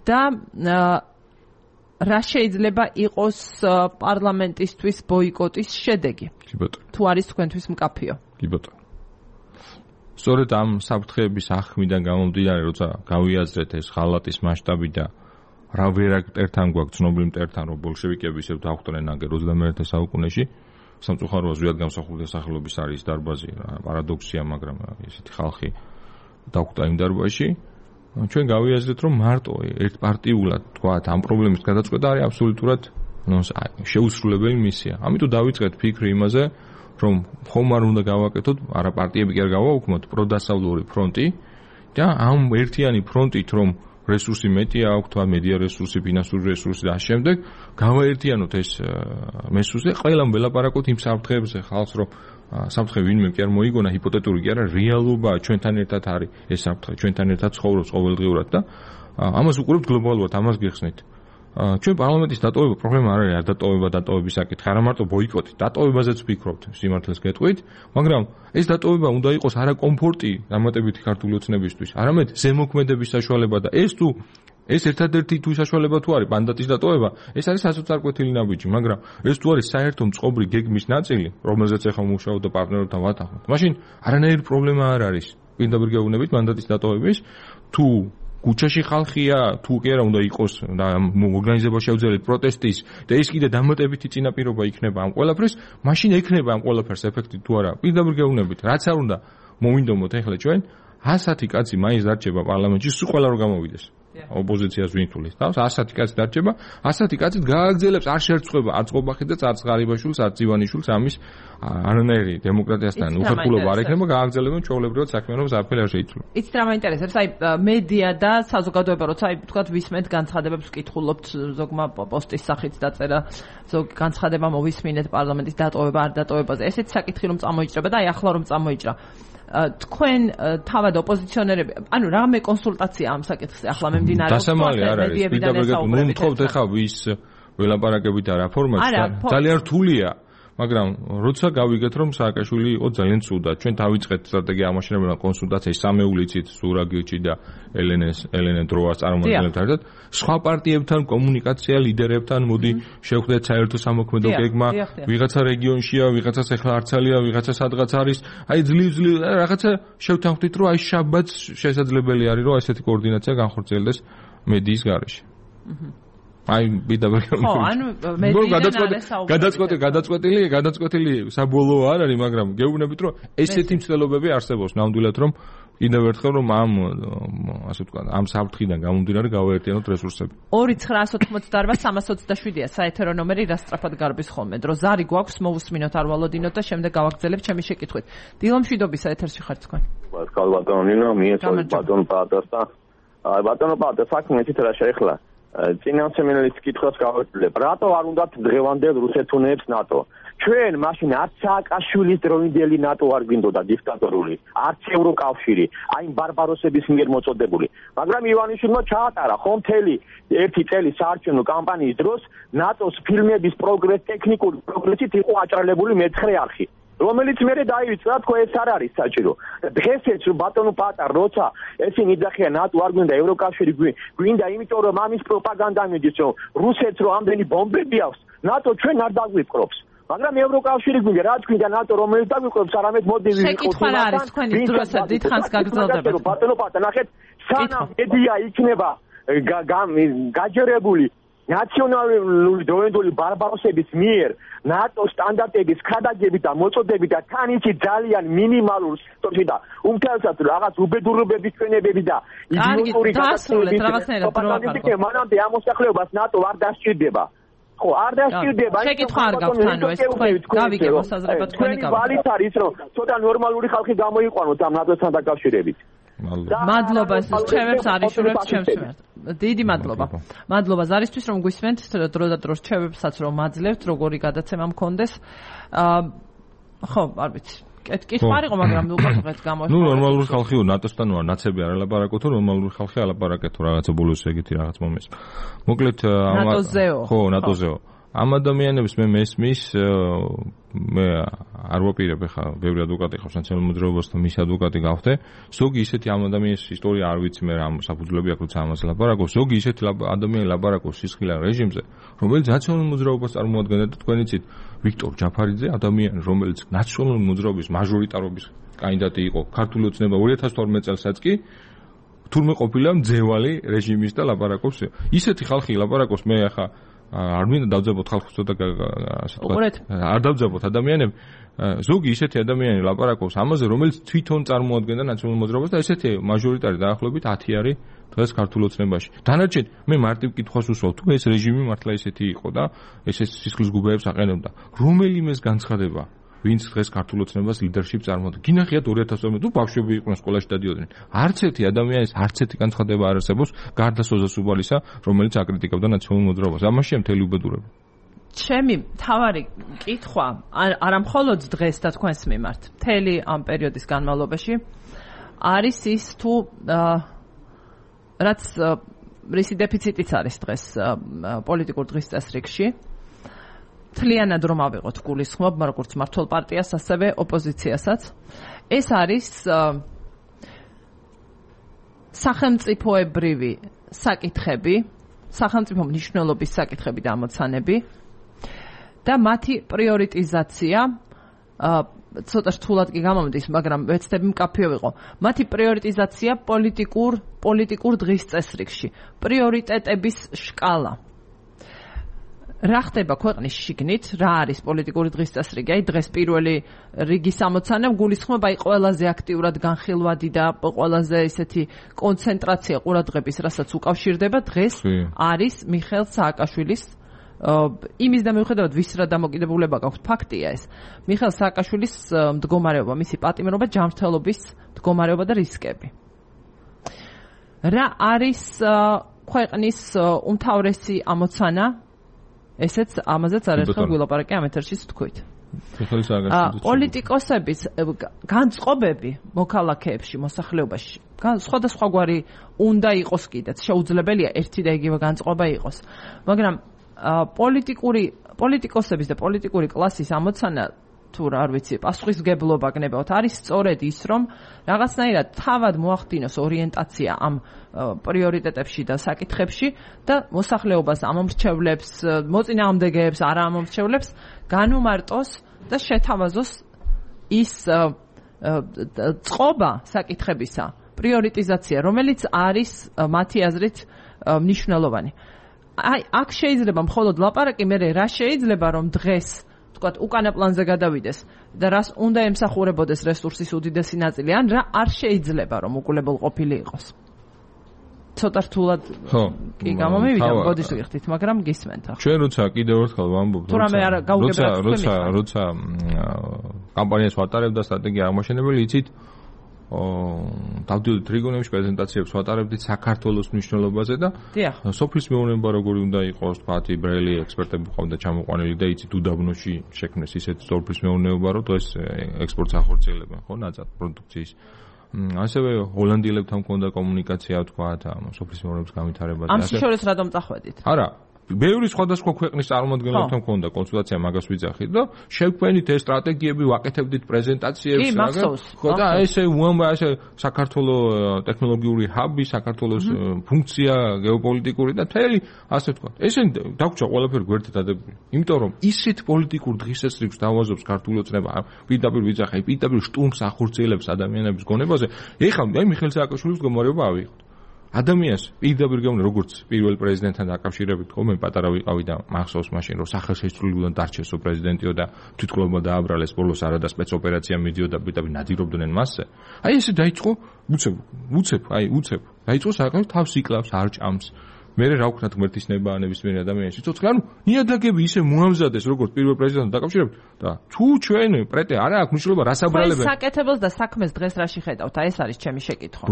და რა შეიძლება იყოს პარლამენტისთვის ბოიკოტის შედეგი? კი ბატონო. თუ არის თქვენთვის მკაფიო? კი ბატონო. სწორედ ამ საფრთხეების ახმიდან გამომდინარე, როცა გავიაზრეთ ეს ხალატის მასშტაბი და რა ვერაკტერთან გვაქვს ცნობილი მტერთან, რომ ბოლშევიკები ისევ დახვდნენ აგერ 21 საუკუნეში, სამწუხაროა ზვიად გამსახურული დასახელობის არის დარბაზი, პარადოქსია, მაგრამ ესეთი ხალხი დახვდა იმ დარბაზში. ჩვენ გავიაზრეთ, რომ მარტო ერთპარტიულად თქვათ ამ პრობლემის გადაწყვეტა არის აბსოლუტურად შეუსრულებელი მისია. ამიტომ დავიწყეთ ფიქრი იმაზე, რომ ხომ არ უნდა გავაკეთოთ, არა პარტიები კი არ გავაუქმოთ პროდასავლური ფრონტი და ამ ერთიანი ფრონტით, რომ რესურსი მეტია აქვს, თქვა მედია რესურსი, ფინანსური რესურსი და ამ შემდეგ გავაერთიანოთ ეს მესურსი, ყველამ ველაპარაკოთ იმ საფრთხეებზე ხალხს, რომ საფრთხე ვინმე კი არ მოიგონა, ჰიპოთეტური კი არა, რეალობაა, ჩვენთან ერთად არის ეს საფრთხე, ჩვენთან ერთად ცხოვრობს ყოველდღიურად და ამას უყურებთ გლობალურად, ამას გიხსნით. ჩვენ პარლამენტის დატოვება პრობლემა არ არის, არ დატოვების საკითხი, არა მარტო ბოიკოტი, დატოვებაზეც ვფიქრობთ, სიმართლეს გეტყვით, მაგრამ ეს დატოვება უნდა იყოს არა კომფორტი დამატებითი ქართული ოცნებისთვის, არამედ ზემოქმედების საშუალება და ეს ერთადერთი თუ საშუალება თუ არის მანდატის დატოვება, ეს არის სასოწარკვეთილი ნაბიჯი, მაგრამ ეს თუ არის საერთო მწყობრი გეგმის ნაწილი, რომელზეც ახლა მუშაობ და პარტნიორებთან ვათანხმობთ, მაშინ არანაირი პრობლემა არ არის. პირდაპირ გეუბნებით მანდატის დატოვების, თუ კუჩაში ხალხია, თუ კი არა უნდა იყოს და ორგანიზება შეუძლიათ პროტესტის და ეს კიდე დამატებითი წინაპირობა იქნება ამ ყველაფერს, მაშინ ექნება ამ ყველაფერს ეფექტი თუ არა. პირდაპირ გეუბნებით, რაც არ უნდა მოვინდომოთ ახლა ჩვენ 100 კაცი მაინც დარჩება პარლამენტში, სულ ყველა რო გამოვიდეს. ოპოზიციას ვინ თulis თავს 100 კაცი დარჩება, 100 კაცით გააგრძელებს არ შეერწყება არც ყობახიძეს, არც ღარიბაშვილს, არც ივანიშვილს ამის არანაირი დემოკრატიასთან უხერხულობა არ ექნება, გააგრძელებენ ჩვეულებრივად საქმიანობას არაფერი არ შეიცვლება. იცით რა მაინტერესებს, აი მედია და საზოგადოება, როცა აი თქვათ ვისმენთ განცხადებებს, ვკითხულობთ, ზოგმა პოსტის სახით დაწერა, ზოგ განცხადება მოვისმინეთ პარლამენტის დატოვება არ დატოვებაზე. ესეც საკითხი რომ წამოიჭრება და აი ახლა რომ წამოიჭრა. თქვენ თავად ოპოზიციონერები, ანუ რამე კონსულტაცია ამ საკითხზე ახლა მიმდინარეობს. დასამალი არ არის, პირდაპირ ნუ თქვა ვის ველაპარაკებით და რა ფორმატში, ძალიან რთულია. მაგრამ როცა გავიგეთ რომ სააკაშვილი იყო ძალიან ცუდად, ჩვენ დავიწყეთ სტრატეგია ამაშენებელთან კონსულტაციას სამეულიცით, სურაგილჩი და ელენე დროას წარმომადგენლებთან ერთად, სხვა პარტიებთან კომუნიკაცია ლიდერებთან, მოდი შევხვდეთ საერთო სამოქმედო გეგმა, ვიღაცა რეგიონშია, ვიღაცას ახლა არცალია, ვიღაცა სადღაც არის, აი ძლივ რაღაცა შევთანხმდით რომ აი შაბათს შესაძლებელი არის რომ ესეთი კოორდინაცია განხორციელდეს მედიის გარეშე. აი პირდაპირ გადაწყვეტილი საბოლოო არ არის, მაგრამ გეუბნებით რომ ესეთი მცდელობები არსებობს ნამდვილად რომ კიდევ ერთხელ რომ ასე ვთქვა ამ საფრთხიდან გამომდინარე გავაერთიანოთ რესურსები. 2988-327-ია საეთერო ნომერი, რა სწრაფად გარბის ხოლმე დრო. ზარი გვაქვს, მოვუსმინოთ, არ ვალოდინოთ და შემდეგ გავაგრძელებთ ჩემი შეკითხვით. დილომშვიდობისა ეთერში ხართ თქვენ. ბატონო ბატონო ნინო მიეწოდე ბატონო პატასთან. აი ბატონო პატა საქმე თითქოს რა შეეხლა. წინასწარმეტყველის კითხვას გავაკეთებ. რატო არ უნდათ დღევანდელ რუსეთუნებს ნატო? ჩვენ მაშინ არც სააკაშვილის დროინდელი ნატო არ გვინდოდა დიქტატორული, არც ევროკავშირი, აი ბარბაროსების მიერ მოწოდებული. მაგრამ ივანიშვილმა ჩაატარა ხომ მთელი ერთი წელი საარჩევნო კამპანიის დროს ნატოს ფილმების ტექნიკური პროგრესით იყო აჭრელებული მეცხრე არხი. რომელიც მე დაივიწყდა, თქო ეს არ არის საჭირო. დღესაც ბატონო პატარ, როცა ესენი იძახიან ნატო არ გვინდა, ევროკავშირი გვინდა, იმიტომ რომ ამის პროპაგანდა მიდის, რომ რუსეთს რომ ამდენი ბომბები აქვს, ნატო ჩვენ არ დაგვიფკრობს. მაგრამ ევროკავშირი გვინდა, რაც გვინდა ნატო რომელიც დაგვიფკრობს, არამედ მოდი ვიყოთ. შეკითხვა რა არის თქვენი დროსაც დიდხანს გაგრძელდება. ბატონო პატარ, ნახეთ, სანამ მედია იქნება გაჯერებული ნაციონალური დროინდელი ბარბაროსების მიერ ნატოს სტანდარტების ქადაგებით და მოწოდებით და თან იცი ძალიან მინიმალურ სექტორში და უმთავრესად რაღაც უბედურებების ჩვენებები და იდეოლოგიური გადაწყვეტილებით მანამდე ამ მოსახლეობას ნატო არ დასჭირდება. ხო, არ დასჭირდება. შეკითხვა არ გაქვთ ანუ ეს თქვენ გავიგე მოსაზრება თქვენი გავა. ვალით არის რომ ცოტა ნორმალური ხალხი გამოიყვანოთ ამ ნატოსთან დაკავშირებით. მადლობა ჩემებს არიშურებს ჩემს მიმართ. დიდი მადლობა. მადლობა ზარისთვის რომ გვისმენთ, დრო და დრო ჩემებსაც რომ მაძლევთ, როგორი გადაცემა მქონდეს. ხო, არ ვიცი. კითხვა არ იყო, მაგრამ უყურეთ გამოიხატა. ნუ ნორმალური ხალხი ნატოსთან ვარ, ნაცები არ ალაპარაკოთ, ნორმალური ხალხი ალაპარაკეთ, რაღაცა ბოლოს ეგეთი რაღაც მომეს. მოკლედ ნატოზეო. ხო, ნატოზეო. ამ ადამიანებს მე მესმის მე არ ვაპირებ ხა ბევრი ადვოკატი ხავს ნაციონალურ მოძრაობასთან მის ადვოკატი გავხდე ზოგი ისეთი ამ ადამიანის ისტორია არ ვიცი მე რა საფუძვლები აქვს როცა ამას ლაპარაკობს ზოგი ისეთი ადამიანი ლაპარაკობს სისხლიან რეჟიმზე რომელიც ნაციონალურ მოძრაობას წარმოადგენდა და თქვენ იცით ვიქტორ ჯაფარიძე ადამიანი რომელიც ნაციონალური მოძრაობის მაჟორიტარობის კანდიდატი იყო ქართული ოცნება 2012 წელსაც კი თურმე ყოფილა მძევალი რეჟიმის და ლაპარაკობს ისეთი ხალხი ლაპარაკობს მე ახლა არ მინდა დავძაბოთ ხალხს ცოტა ასე ვთქვათ არ დავძაბოთ ადამიანები ზოგი ისეთი ადამიანი ლაპარაკობს ამაზე რომელიც თვითონ წარმოადგენდა ნაციონალურ მოძრაობას და ესეთი მაჟორიტარი დაახლოებით 10 არის დღეს ქართულ ოცნებაში დანარჩენ მე მარტივ კითხვას უსვავ თუ ეს რეჟიმი მართლა ისეთი იყო და ეს სისხლის გუბეებს აყენებდა რომელიმეს განცხადება ვინც დღეს ქართულ ოცნებას ლიდერშიპ წარმოადგენს. გინახიათ 2012 თუ ბავშვები იყვნენ სკოლაში დადიოდნენ. არც ერთი ადამიანის არც ერთი განცხადება არ არსებობს გარდა სოზა სუბალისა, რომელიც აკრიტიკებდა ნაციონალურ მოძრაობას. ამაშია მთელი უბედურება. ჩემი თავარი კითხვა არა მხოლოდ დღეს და თქვენს მიმართ, მთელი ამ პერიოდის განმავლობაში არის ის თუ რაც რისი დეფიციტიც არის დღეს პოლიტიკურ დღის წესრიგში. თლიანად რომ ავიღოთ გულისხმობ, როგორც მართლ პარტიას, ასევე ოპოზიციასაც. ეს არის სახელმწიფოებრივი საკითხები, სახელმწიფო მნიშვნელობის საკითხები და ამოცანები და მათი პრიორიტიზაცია ცოტა რთულად კი გამომდის, მაგრამ ვეცდები მკაფიო ვიყო. მათი პრიორიტიზაცია პოლიტიკურ დღის წესრიგში, პრიორიტეტების შკალა. რა ხდება ქვეყნის შიგნით, რა არის პოლიტიკური დღის წესრიგი? აი დღეს პირველი რიგის ამოცანა გულისხმობ აი ყველაზე აქტიურად განხილვადი და ყველაზე ესეთი კონცენტრაცია ყურადღების, რასაც უკავშირდება დღეს არის მიხეილ სააკაშვილის იმის და მიუხედავად ვის რა დამოკიდებულება გაქვთ, ფაქტია ეს. მიხეილ სააკაშვილის მდგომარეობა, მისი პატიმრობა, ჯანმრთელობის მდგომარეობა და რისკები. რა არის ქვეყნის უმთავრესი ამოცანა? ესეც ამაზეც არაერთხელ გვილაპარაკე ამ ეთერშიც თქვით. პოლიტიკოსების განწყობები მოქალაქეებში, მოსახლეობაში, სხვადასხვაგვარი უნდა იყოს კიდეც, შეუძლებელია ერთი და იგივე განწყობა იყოს. მაგრამ პოლიტიკოსების და პოლიტიკური კლასის ამოცანა თუ არ ვიცი, პასუხისმგებლობა გნებავთ, არის სწორედ ის, რომ რაღაცნაირად თავად მოახდინოს ორიენტაცია ამ პრიორიტეტებში და საკითხებში და მოსახლეობას ამომრჩევლებს, მოწინააღმდეგეებს, არა ამომრჩევლებს განუმარტოს და შეთავაზოს ის წყობა საკითხებისა, პრიორიტიზაცია, რომელიც არის მათი აზრით მნიშვნელოვანი. აი, აქ შეიძლება მხოლოდ ლაპარაკი, მე რა შეიძლება რომ დღეს თქვათ უკანა პლანზე გადავიდეს და რას უნდა ემსახურებოდეს რესურსის უდიდესი ნაწილი, ან რა არ შეიძლება რომ უკულებელყოფილი იყოს. ცოტა რთულად კი გამომივიდა, გოდის ვიხდით, მაგრამ გისმენთ ახლა. ჩვენ როცა კიდევ ერთხელ ვამბობთ, როცა კამპანიას ვატარებდა სტრატეგია აღმაშენებელი, იცით დავდიოდით რეგიონებში პრეზენტაციებს ვატარებდით საქართველოს მნიშვნელობაზე და სოფლის მეურნეობა როგორი უნდა იყოს, თქვათ, ბრელი ექსპერტები ყავდა ჩამოყვანილი და იცით უდაბნოში შექმნეს ისეთი სოფლის მეურნეობა, რომ ეს ექსპორტს ახორციელებენ, ხო, ნაწილ პროდუქციის. ასევე ჰოლანდიელებთან მქონდა კომუნიკაცია, თქვათ, სოფლის მეურნეობის განვითარებაზე. ამ შორის რატომ წახვედით? არა ბევრი სხვადასხვა ქვეყნის წარმომადგენლებთან მქონდა კონსულტაცია, მაგას ვიძახით და შევქმნით ეს სტრატეგიები, ვაკეთებდით პრეზენტაციებს, ხო და ესე ესე საქართველოს ტექნოლოგიური ჰაბი, საქართველოს ფუნქცია გეოპოლიტიკური და თელი, ასე ვთქვათ. ესენი დაგვრჩა ყველაფერი გვერდით დადებული. იმიტომ რომ ისეთ პოლიტიკურ დღესასწაულს დავაზობს ქართული ოცნება, პირდაპირ ვიძახე, პირდაპირ შტურმს ახორციელებს ადამიანების გონებაზე. ეხლა აი მიხეილ სააკაშვილის მდგომარეობა ავიღოთ. ადამიანს პირდაპირ გეუბნე როგორც პირველ პრეზიდენტთან დაკავშირებით, ხო მე პატარა ვიყავი და მახსოვს მაშინ რომ სახელშეცვლილიდან დარჩესო პრეზიდენტიო და თვითმკვლელობა დააბრალეს ბოლოს არა და სპეცოპერაცია მიდიოდა პირდაპირ ნადირობდნენ მასზე. აი ესე დაიწყო უცებ დაიწყო სააკაშვილი თავს იკლავს, არ ჭამს. მე რა ვქნათ ღმერთის ნებაანების მიერ ადამიანში ცოცხლე, ანუ ნიადაგები ისე მოამზადეს როგორც პირველ პრეზიდენტთან დაკავშირებით და თუ ჩვენ პრეტე არა აქვს მნიშვნელობა რას აბრალებენ. ეს საკეთებელს და საქმეს დღეს რაში ხედავთ? აი ეს არის ჩემი შეკითხვა.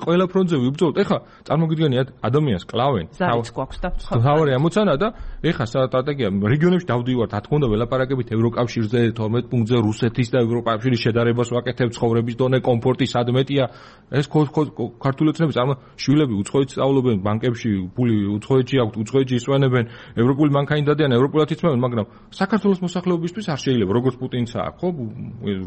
ყველა ფრონტზე ვიბრძოლოთ. ეხლა წარმოგიდგენიათ ადამიანს კლავენ. ზარიც გვაქვს და თავარი ამოცანა და ეხლა სტრატეგია რეგიონებში დავდივართ, რა თქმა უნდა ველაპარაკებით ევროკავშირზე 12 პუნქტზე რუსეთის და ევროკავშირის შედარებას ვაკეთებ, ცხოვრების დონე, კომფორტი სადმეტია. ეს ქართული ოცნების შვილები უცხოეთში სწავლობენ, ბანკებში ფული უცხოეთში აქვთ, უცხოეთში ისვენებენ, ევროპული მანქანი დადიან, ევროპულად იწმევენ, მაგრამ საქართველოს მოსახლეობისთვის არ შეიძლება, როგორც პუტინცა აქვს, ხო?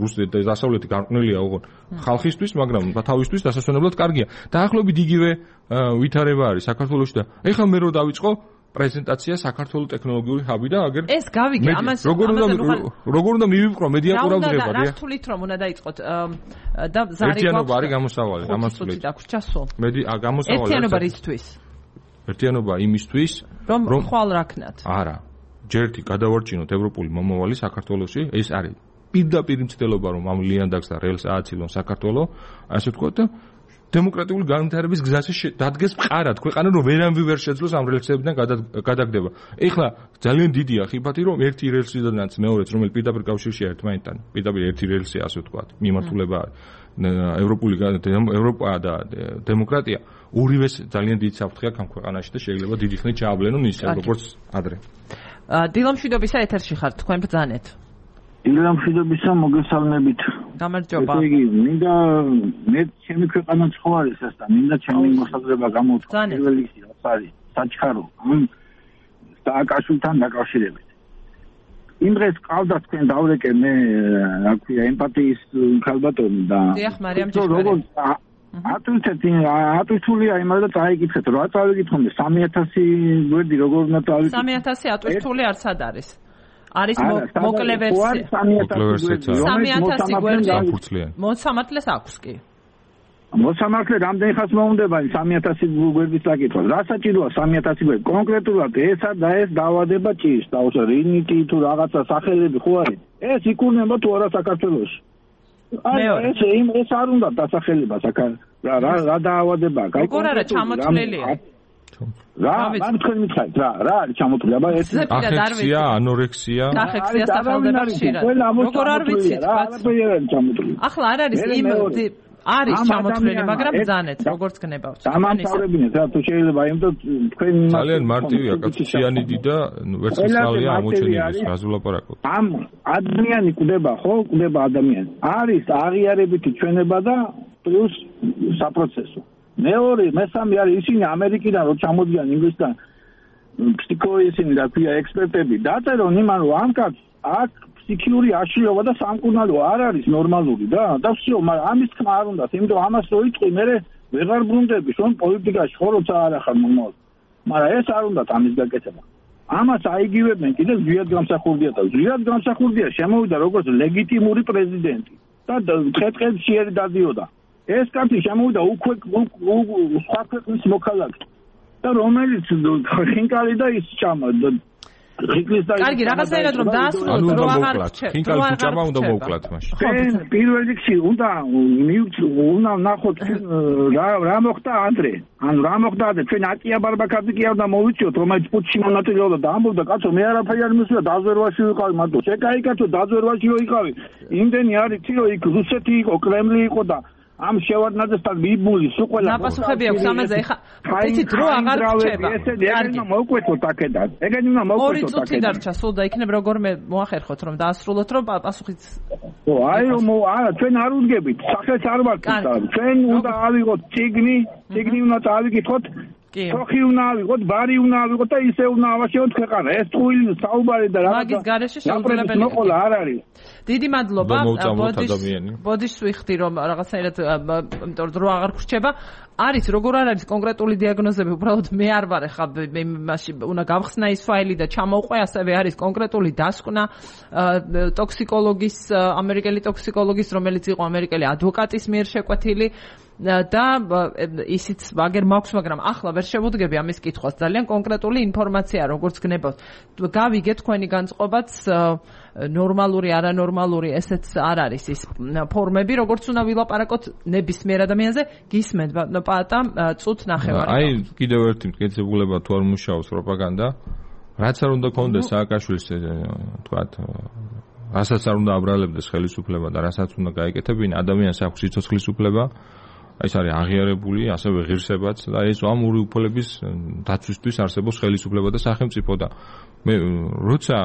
რუსეთი და დასავლეთი გარყვნილია ოღონდ ხალხისთვის, მაგრამ თავისთვის დასასვენებლად კარგია. დაახლოებით იგივე ვითარება არის საქართველოში და ეხლა მე რო დავიწყო პრეზენტაცია საქართველოს ტექნოლოგიური ჰაბი და აგერ ეს გავიგე ამას როგორ უნდა მივიყვრო მედია ყურადღება რა თulit რომ უნდა დაიწყოთ და ზარი ერთიანობა არის გამოსავალი ამას თulit დაგვრჩასო გამოსავალი ერთიანობა რისთვის ერთიანობა იმისთვის რომ ხვალ რაქნათ არა ჯერთი გადავარჩინოთ ევროპული მომავალი საქართველოში ეს არის პირდაპირ მცდელობა რომ ამ ლიანდაგს და რელს ააცილონ საქართველო ასე ვთქვათ და დემოკრატიული განვითარების გზაში დადგეს მყარად ქვეყანა რომ ვერანვე ვერ შეძლოს ამ რელსებიდან გადაგდება. ეხლა ძალიან დიდია ხიფათი რომ ერთი რელსიდანაც მეორეც რომელიც პირდაპირ კავშირშია ერთმანეთთან, პირდაპირ ერთი რელსი ასე ვთქვათ, მიმართულება ევროპული ევროპა და დემოკრატია ორივეს ძალიან დიდ საფრთხე აქვს ამ ქვეყანაში და შეიძლება დიდი ხნით ჩააბლენონ ისე როგორც ადრე. დილამშვიდობისა ეთერში ხართ თქვენ ბრძანეთ. დილამშვიდობისა მოგესალმებით. გამარჯობა. ესე იგი, მინდა მე ჩემი ქვეყანა ხო არის ეს და მინდა ჩემი მოსაზრება გამოვთქვა. პირველი რაც არის საჩქარო ამ სააკაშვილთან დაკავშირებით. იმ დღეს ყავდა თქვენ დავრეკე მე რა ქვია ემპათიის ქალბატონი და დიახ, მარიამ ჭიჭველი. ატვირთულია იმადა და წაიკითხეთ, რა წავიკითხოთ 3000 გვერდი როგორ უნდა წავიკითხოთ? 3000 ატვირთული არც არ არის. არის მოკლე ვერსია. 3000 გვერდი. მოსამართლეს აქვს კი. მოსამართლე რამდენი ხანს მოუნდება 3000 გვერდის საკითხვა? რა საჭიროა 3000 გვერდი? კონკრეტულად ესა და ეს დაავადება ჭირს, დაუშვათ რინიტი თუ რაღაცა სახელები ხო არის? ეს იქურნება თუ არა საქართველოში? აი ეს არ უნდა დასახელება რა დაავადებაა? როგორ არა ჩამოთვლილია? რა თქვენ მითხარით რა არის ჩამოთვლილი? აბა ეს ახექსია, ანორექსია. ახექსია სახელდება ხშირად. როგორ არ ვიცით? ახლა არ არის იმ არის ჩამოთვლილი, მაგრამ ბრძანეთ, როგორც გნებავთ. დამამთავრებინეთ რა თუ შეიძლება იმ თქვენ ძალიან მარტივია, კაცი სიანიდი და ვერცხლისმალია ამოჩენილი, გაზულაპარაკოთ. ამ ადამიანი კვდება, ხო? კვდება ადამიანი. არის აღიარებითი ჩვენება და პლუს საპროცესო. მეორე, მესამე არის ისინი ამერიკიდან რო ჩამოდიან ინგლისთან ფსიქოისინი და ქვია ექსპერტები დაწერონ იმან რომ ამ კაცს აქ ფსიქიური აშლილობა და სამკურნალო არ არის ნორმალური და всё, მაგრამ ამის თქმა არ უნდა, იმიტომ რომ ამას რო იწყვი მე ვეღარ ბრუნდები, რომ პოლიტიკაში ხო როცა არ ახარ მომავალ. მაგრამ ეს არ უნდა ამის გაკეთება. ამას აიგივებენ კიდე ზვიად გამსახურდია და ზვიად გამსახურდია შემოვიდა როგორც ლეგიტიმური პრეზიდენტი და დღე-დღეში დადიოდა. ეს კაცი შემოვიდა უკვე სხვა ქვეყნის მოქალაქე და რომელიც ხინკალი და ის ჭამა კარგი, რაღაცნაირად რომ დაასრულოთ, რომ აღარ ხინკალი ჭამა უნდა მოუკლათ მაშინ. პირველ რიგში უნდა ნახოთ რა მოხდა ადრე. ანუ რა მოხდა ადრე? ჩვენ აკია ბარბაკაძე კი არ და მოვიწიოთ, რომელიც პუტჩში მონაწილეობდა და ამბობდა, კაცო, მე არაფერი არ მისვია, დაზვერვაში ვიყავი მარტო. შეკაი კაცო, დაზვერვაში ვიყავი. იმდენი არის თირო იქ რუსეთი იყო, კრემლი იყო და ამ შევარდნაძესთან მიბული სულ ყველა დაპასუხები აქვს ამაზე ეხა იცით დრო აღარ რჩება კარგი მოვკვეთოთ აქედან ეგენი უნდა მოვკვეთოთ აქედან 2 წუთი დარჩა სულ და იქნებ როგორმე მოახერხოთ რომ დაასრულოთ რომ პასუხიც აი რომ არა ჩვენ არ უდგებით სახელს არ ვარქვით ჩვენ უნდა ავიღოთ ციგნი უნდა წავიკითხოთ ხოხი უნდა ავიღოთ ბარი უნდა ავიღოთ და ისე უნდა ავაშენოთ ქვეყანა ეს თույლ საუბარი და რაღაცა მაგის გარეშე შეუძლებელი მოყოლა არ არის დიდი მადლობა ბოდიშს ვიხდი რომ რაღაცნაირად იმიტომ რომ დრო აღარ გრჩება არის როგორ არ არის კონკრეტული დიაგნოზები უბრალოდ მე არ ვარ ხა იმაში უნდა გავხსნა ის ფაილი და ჩამოვყვე ასევე არის კონკრეტული დასკვნა ტოქსიკოლოგის ამერიკელი ტოქსიკოლოგის რომელიც იყო ამერიკელი ადვოკატის მიერ შეკვეთილი და ისიც ვაგერ მაქვს მაგრამ ახლა ვერ შევუდგები ამის კითხვას ძალიან კონკრეტული ინფორმაცია როგორც გნებავთ გავიგეთ თქვენი განწყობაც ნორმალური არანორმალური ესეც არ არის ის ფორმები როგორც უნდა ვილაპარაკოთ ნებისმიერ ადამიანზე გისმენთ პატა წუთ ნახევარი აი კიდევ ერთი მტკიცებულება თუ არ მუშაობს პროპაგანდა რაც არ უნდა კონდეს სააკაშვილის თქვათ რასაც არ უნდა აბრალებდეს ხელისუფლება და რასაც უნდა გაეკეთებინა ადამიანს აქვს სიცოცხლის უფლება ეს არის აღიარებული ასევე ღირსებაც და ეს ამ ორი უფლების დაცვისთვის არსებობს ხელისუფლება და სახელმწიფო და მე როცა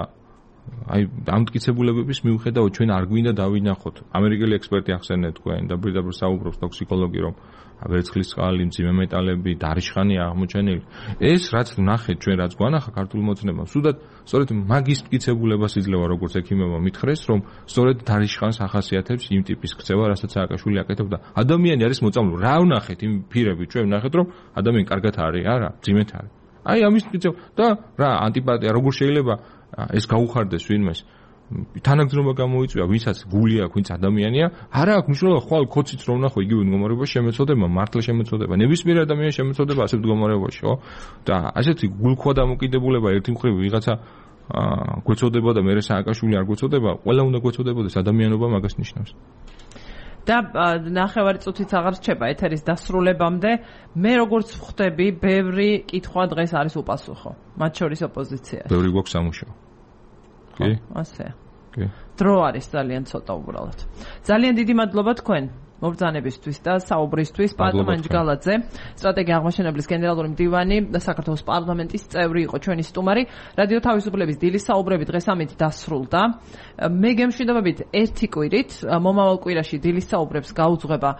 აი ამ მტკიცებულებების მიუხედავად ჩვენ არ გვინდა დავინახოთ. ამერიკელი ექსპერტი ახსენეთ თქვენ და პირდაპირ საუბრობს ტოქსიკოლოგი, რომ ვერცხლის წყალი, მძიმე მეტალები, დარიშხანია აღმოჩენილი. ეს რაც ნახეთ ჩვენ, რაც გვანახა ქართულ მოცნებამ, სუდად სწორედ მაგის მტკიცებულებას იძლევა როგორც ექიმებმა მითხრეს, რომ სწორედ დარიშხანს ახასიათებს იმ ტიპის ქცევა, რასაც სააკაშვილი აკეთებდა. ადამიანი არის მოწამლული. რა ვნახეთ იმ ფირები, ჩვენ ვნახეთ, რომ ადამიანი კარგად არის, არა, მძიმედ არის. აი ამის მტკიცება და რა ანტიპათია, როგორ შეიძლება ეს გაუხარდეს ვინმეს? თანაგზნობა გამოიწვია, ვინცაც გული აქვს, ვინც ადამიანია, არა აქვს მნიშვნელობა, ხვალ ქოციც რომ ნახო, იგივე მდგომარეობაში შემეცოდება, მართლა შემეცოდება, ნებისმიერ ადამიანს შემეცოდება ასეთ მდგომარეობაში, ხო? და ასეთი გულქვა დამოკიდებულება ერთი მხრივ ვიღაცა გვეცოდება და მერე სააკაშვილი არ გვეცოდება, ყველა უნდა გვეცოდებოდეს, ადამიანობა მაგას ნიშნავს. და ნახევარი წუთიც აღარ რჩება ეთერის დასრულებამდე. მე როგორც ვხვდები, ბევრი კითხვა დღეს არის უპასუხო, მათ შორის ოპოზიციას. ბევრი გვაქვს სამუშაო. კი? ასეა. კი. დრო არის ძალიან ცოტა უბრალოდ. ძალიან დიდი მადლობა თქვენ მობრძანებისთვის და საუბრისთვის. პატო მანჯგალაძე, სტრატეგია აღმაშენებლის გენერალური მდივანი და საქართველოს პარლამენტის წევრი იყო ჩვენი სტუმარი. რადიო თავისუფლების დილის საუბრები დღეს ამით დასრულდა. მე გემშვიდობებით ერთი კვირით, მომავალ კვირაში დილის საუბრებს გაუძღვება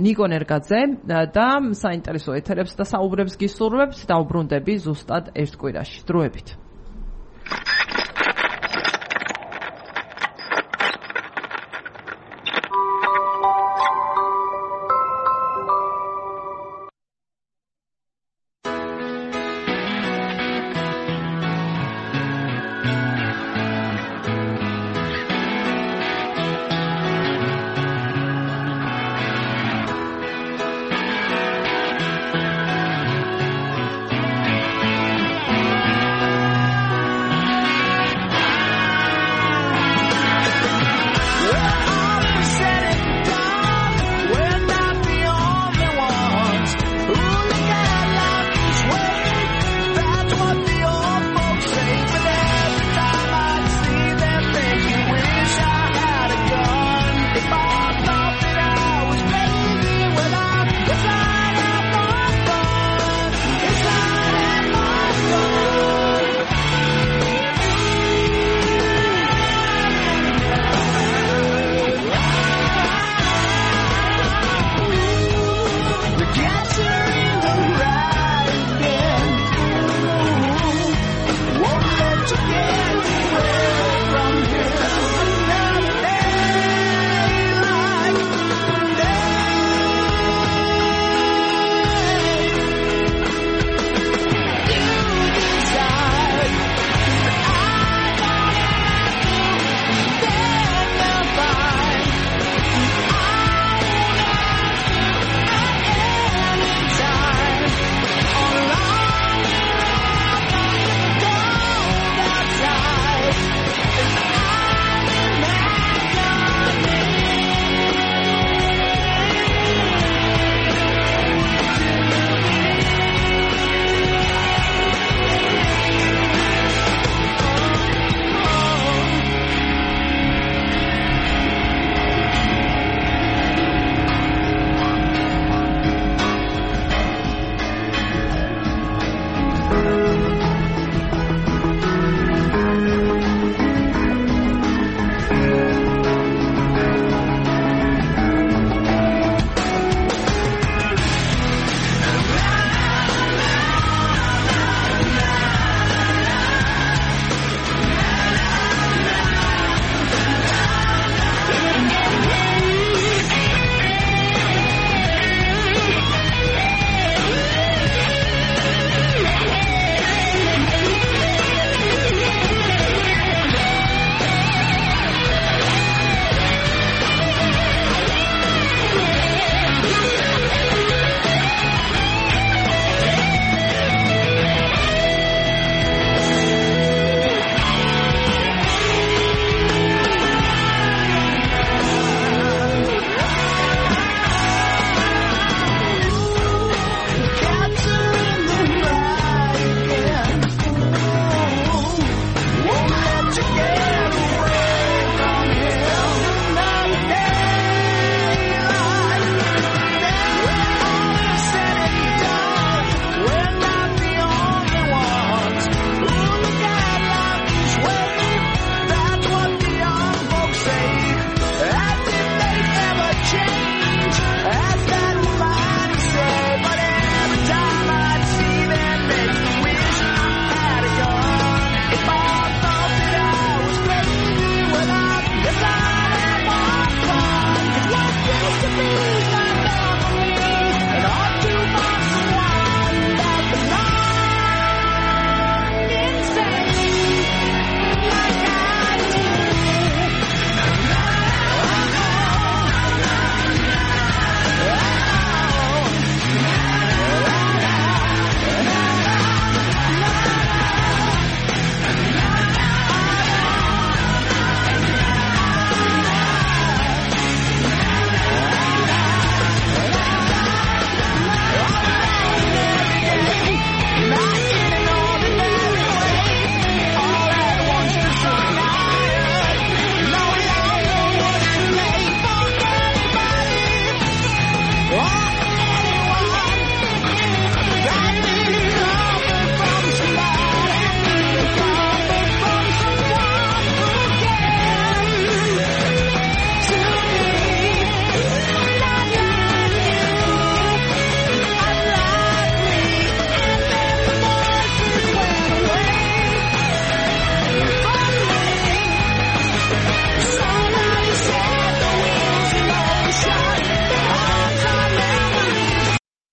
ნიკო ნერგაძე და საინტერესო ეთერებს და საუბრებს გისურვებთ და უბრუნდები ზუსტად ერთ კვირაში. დროებით.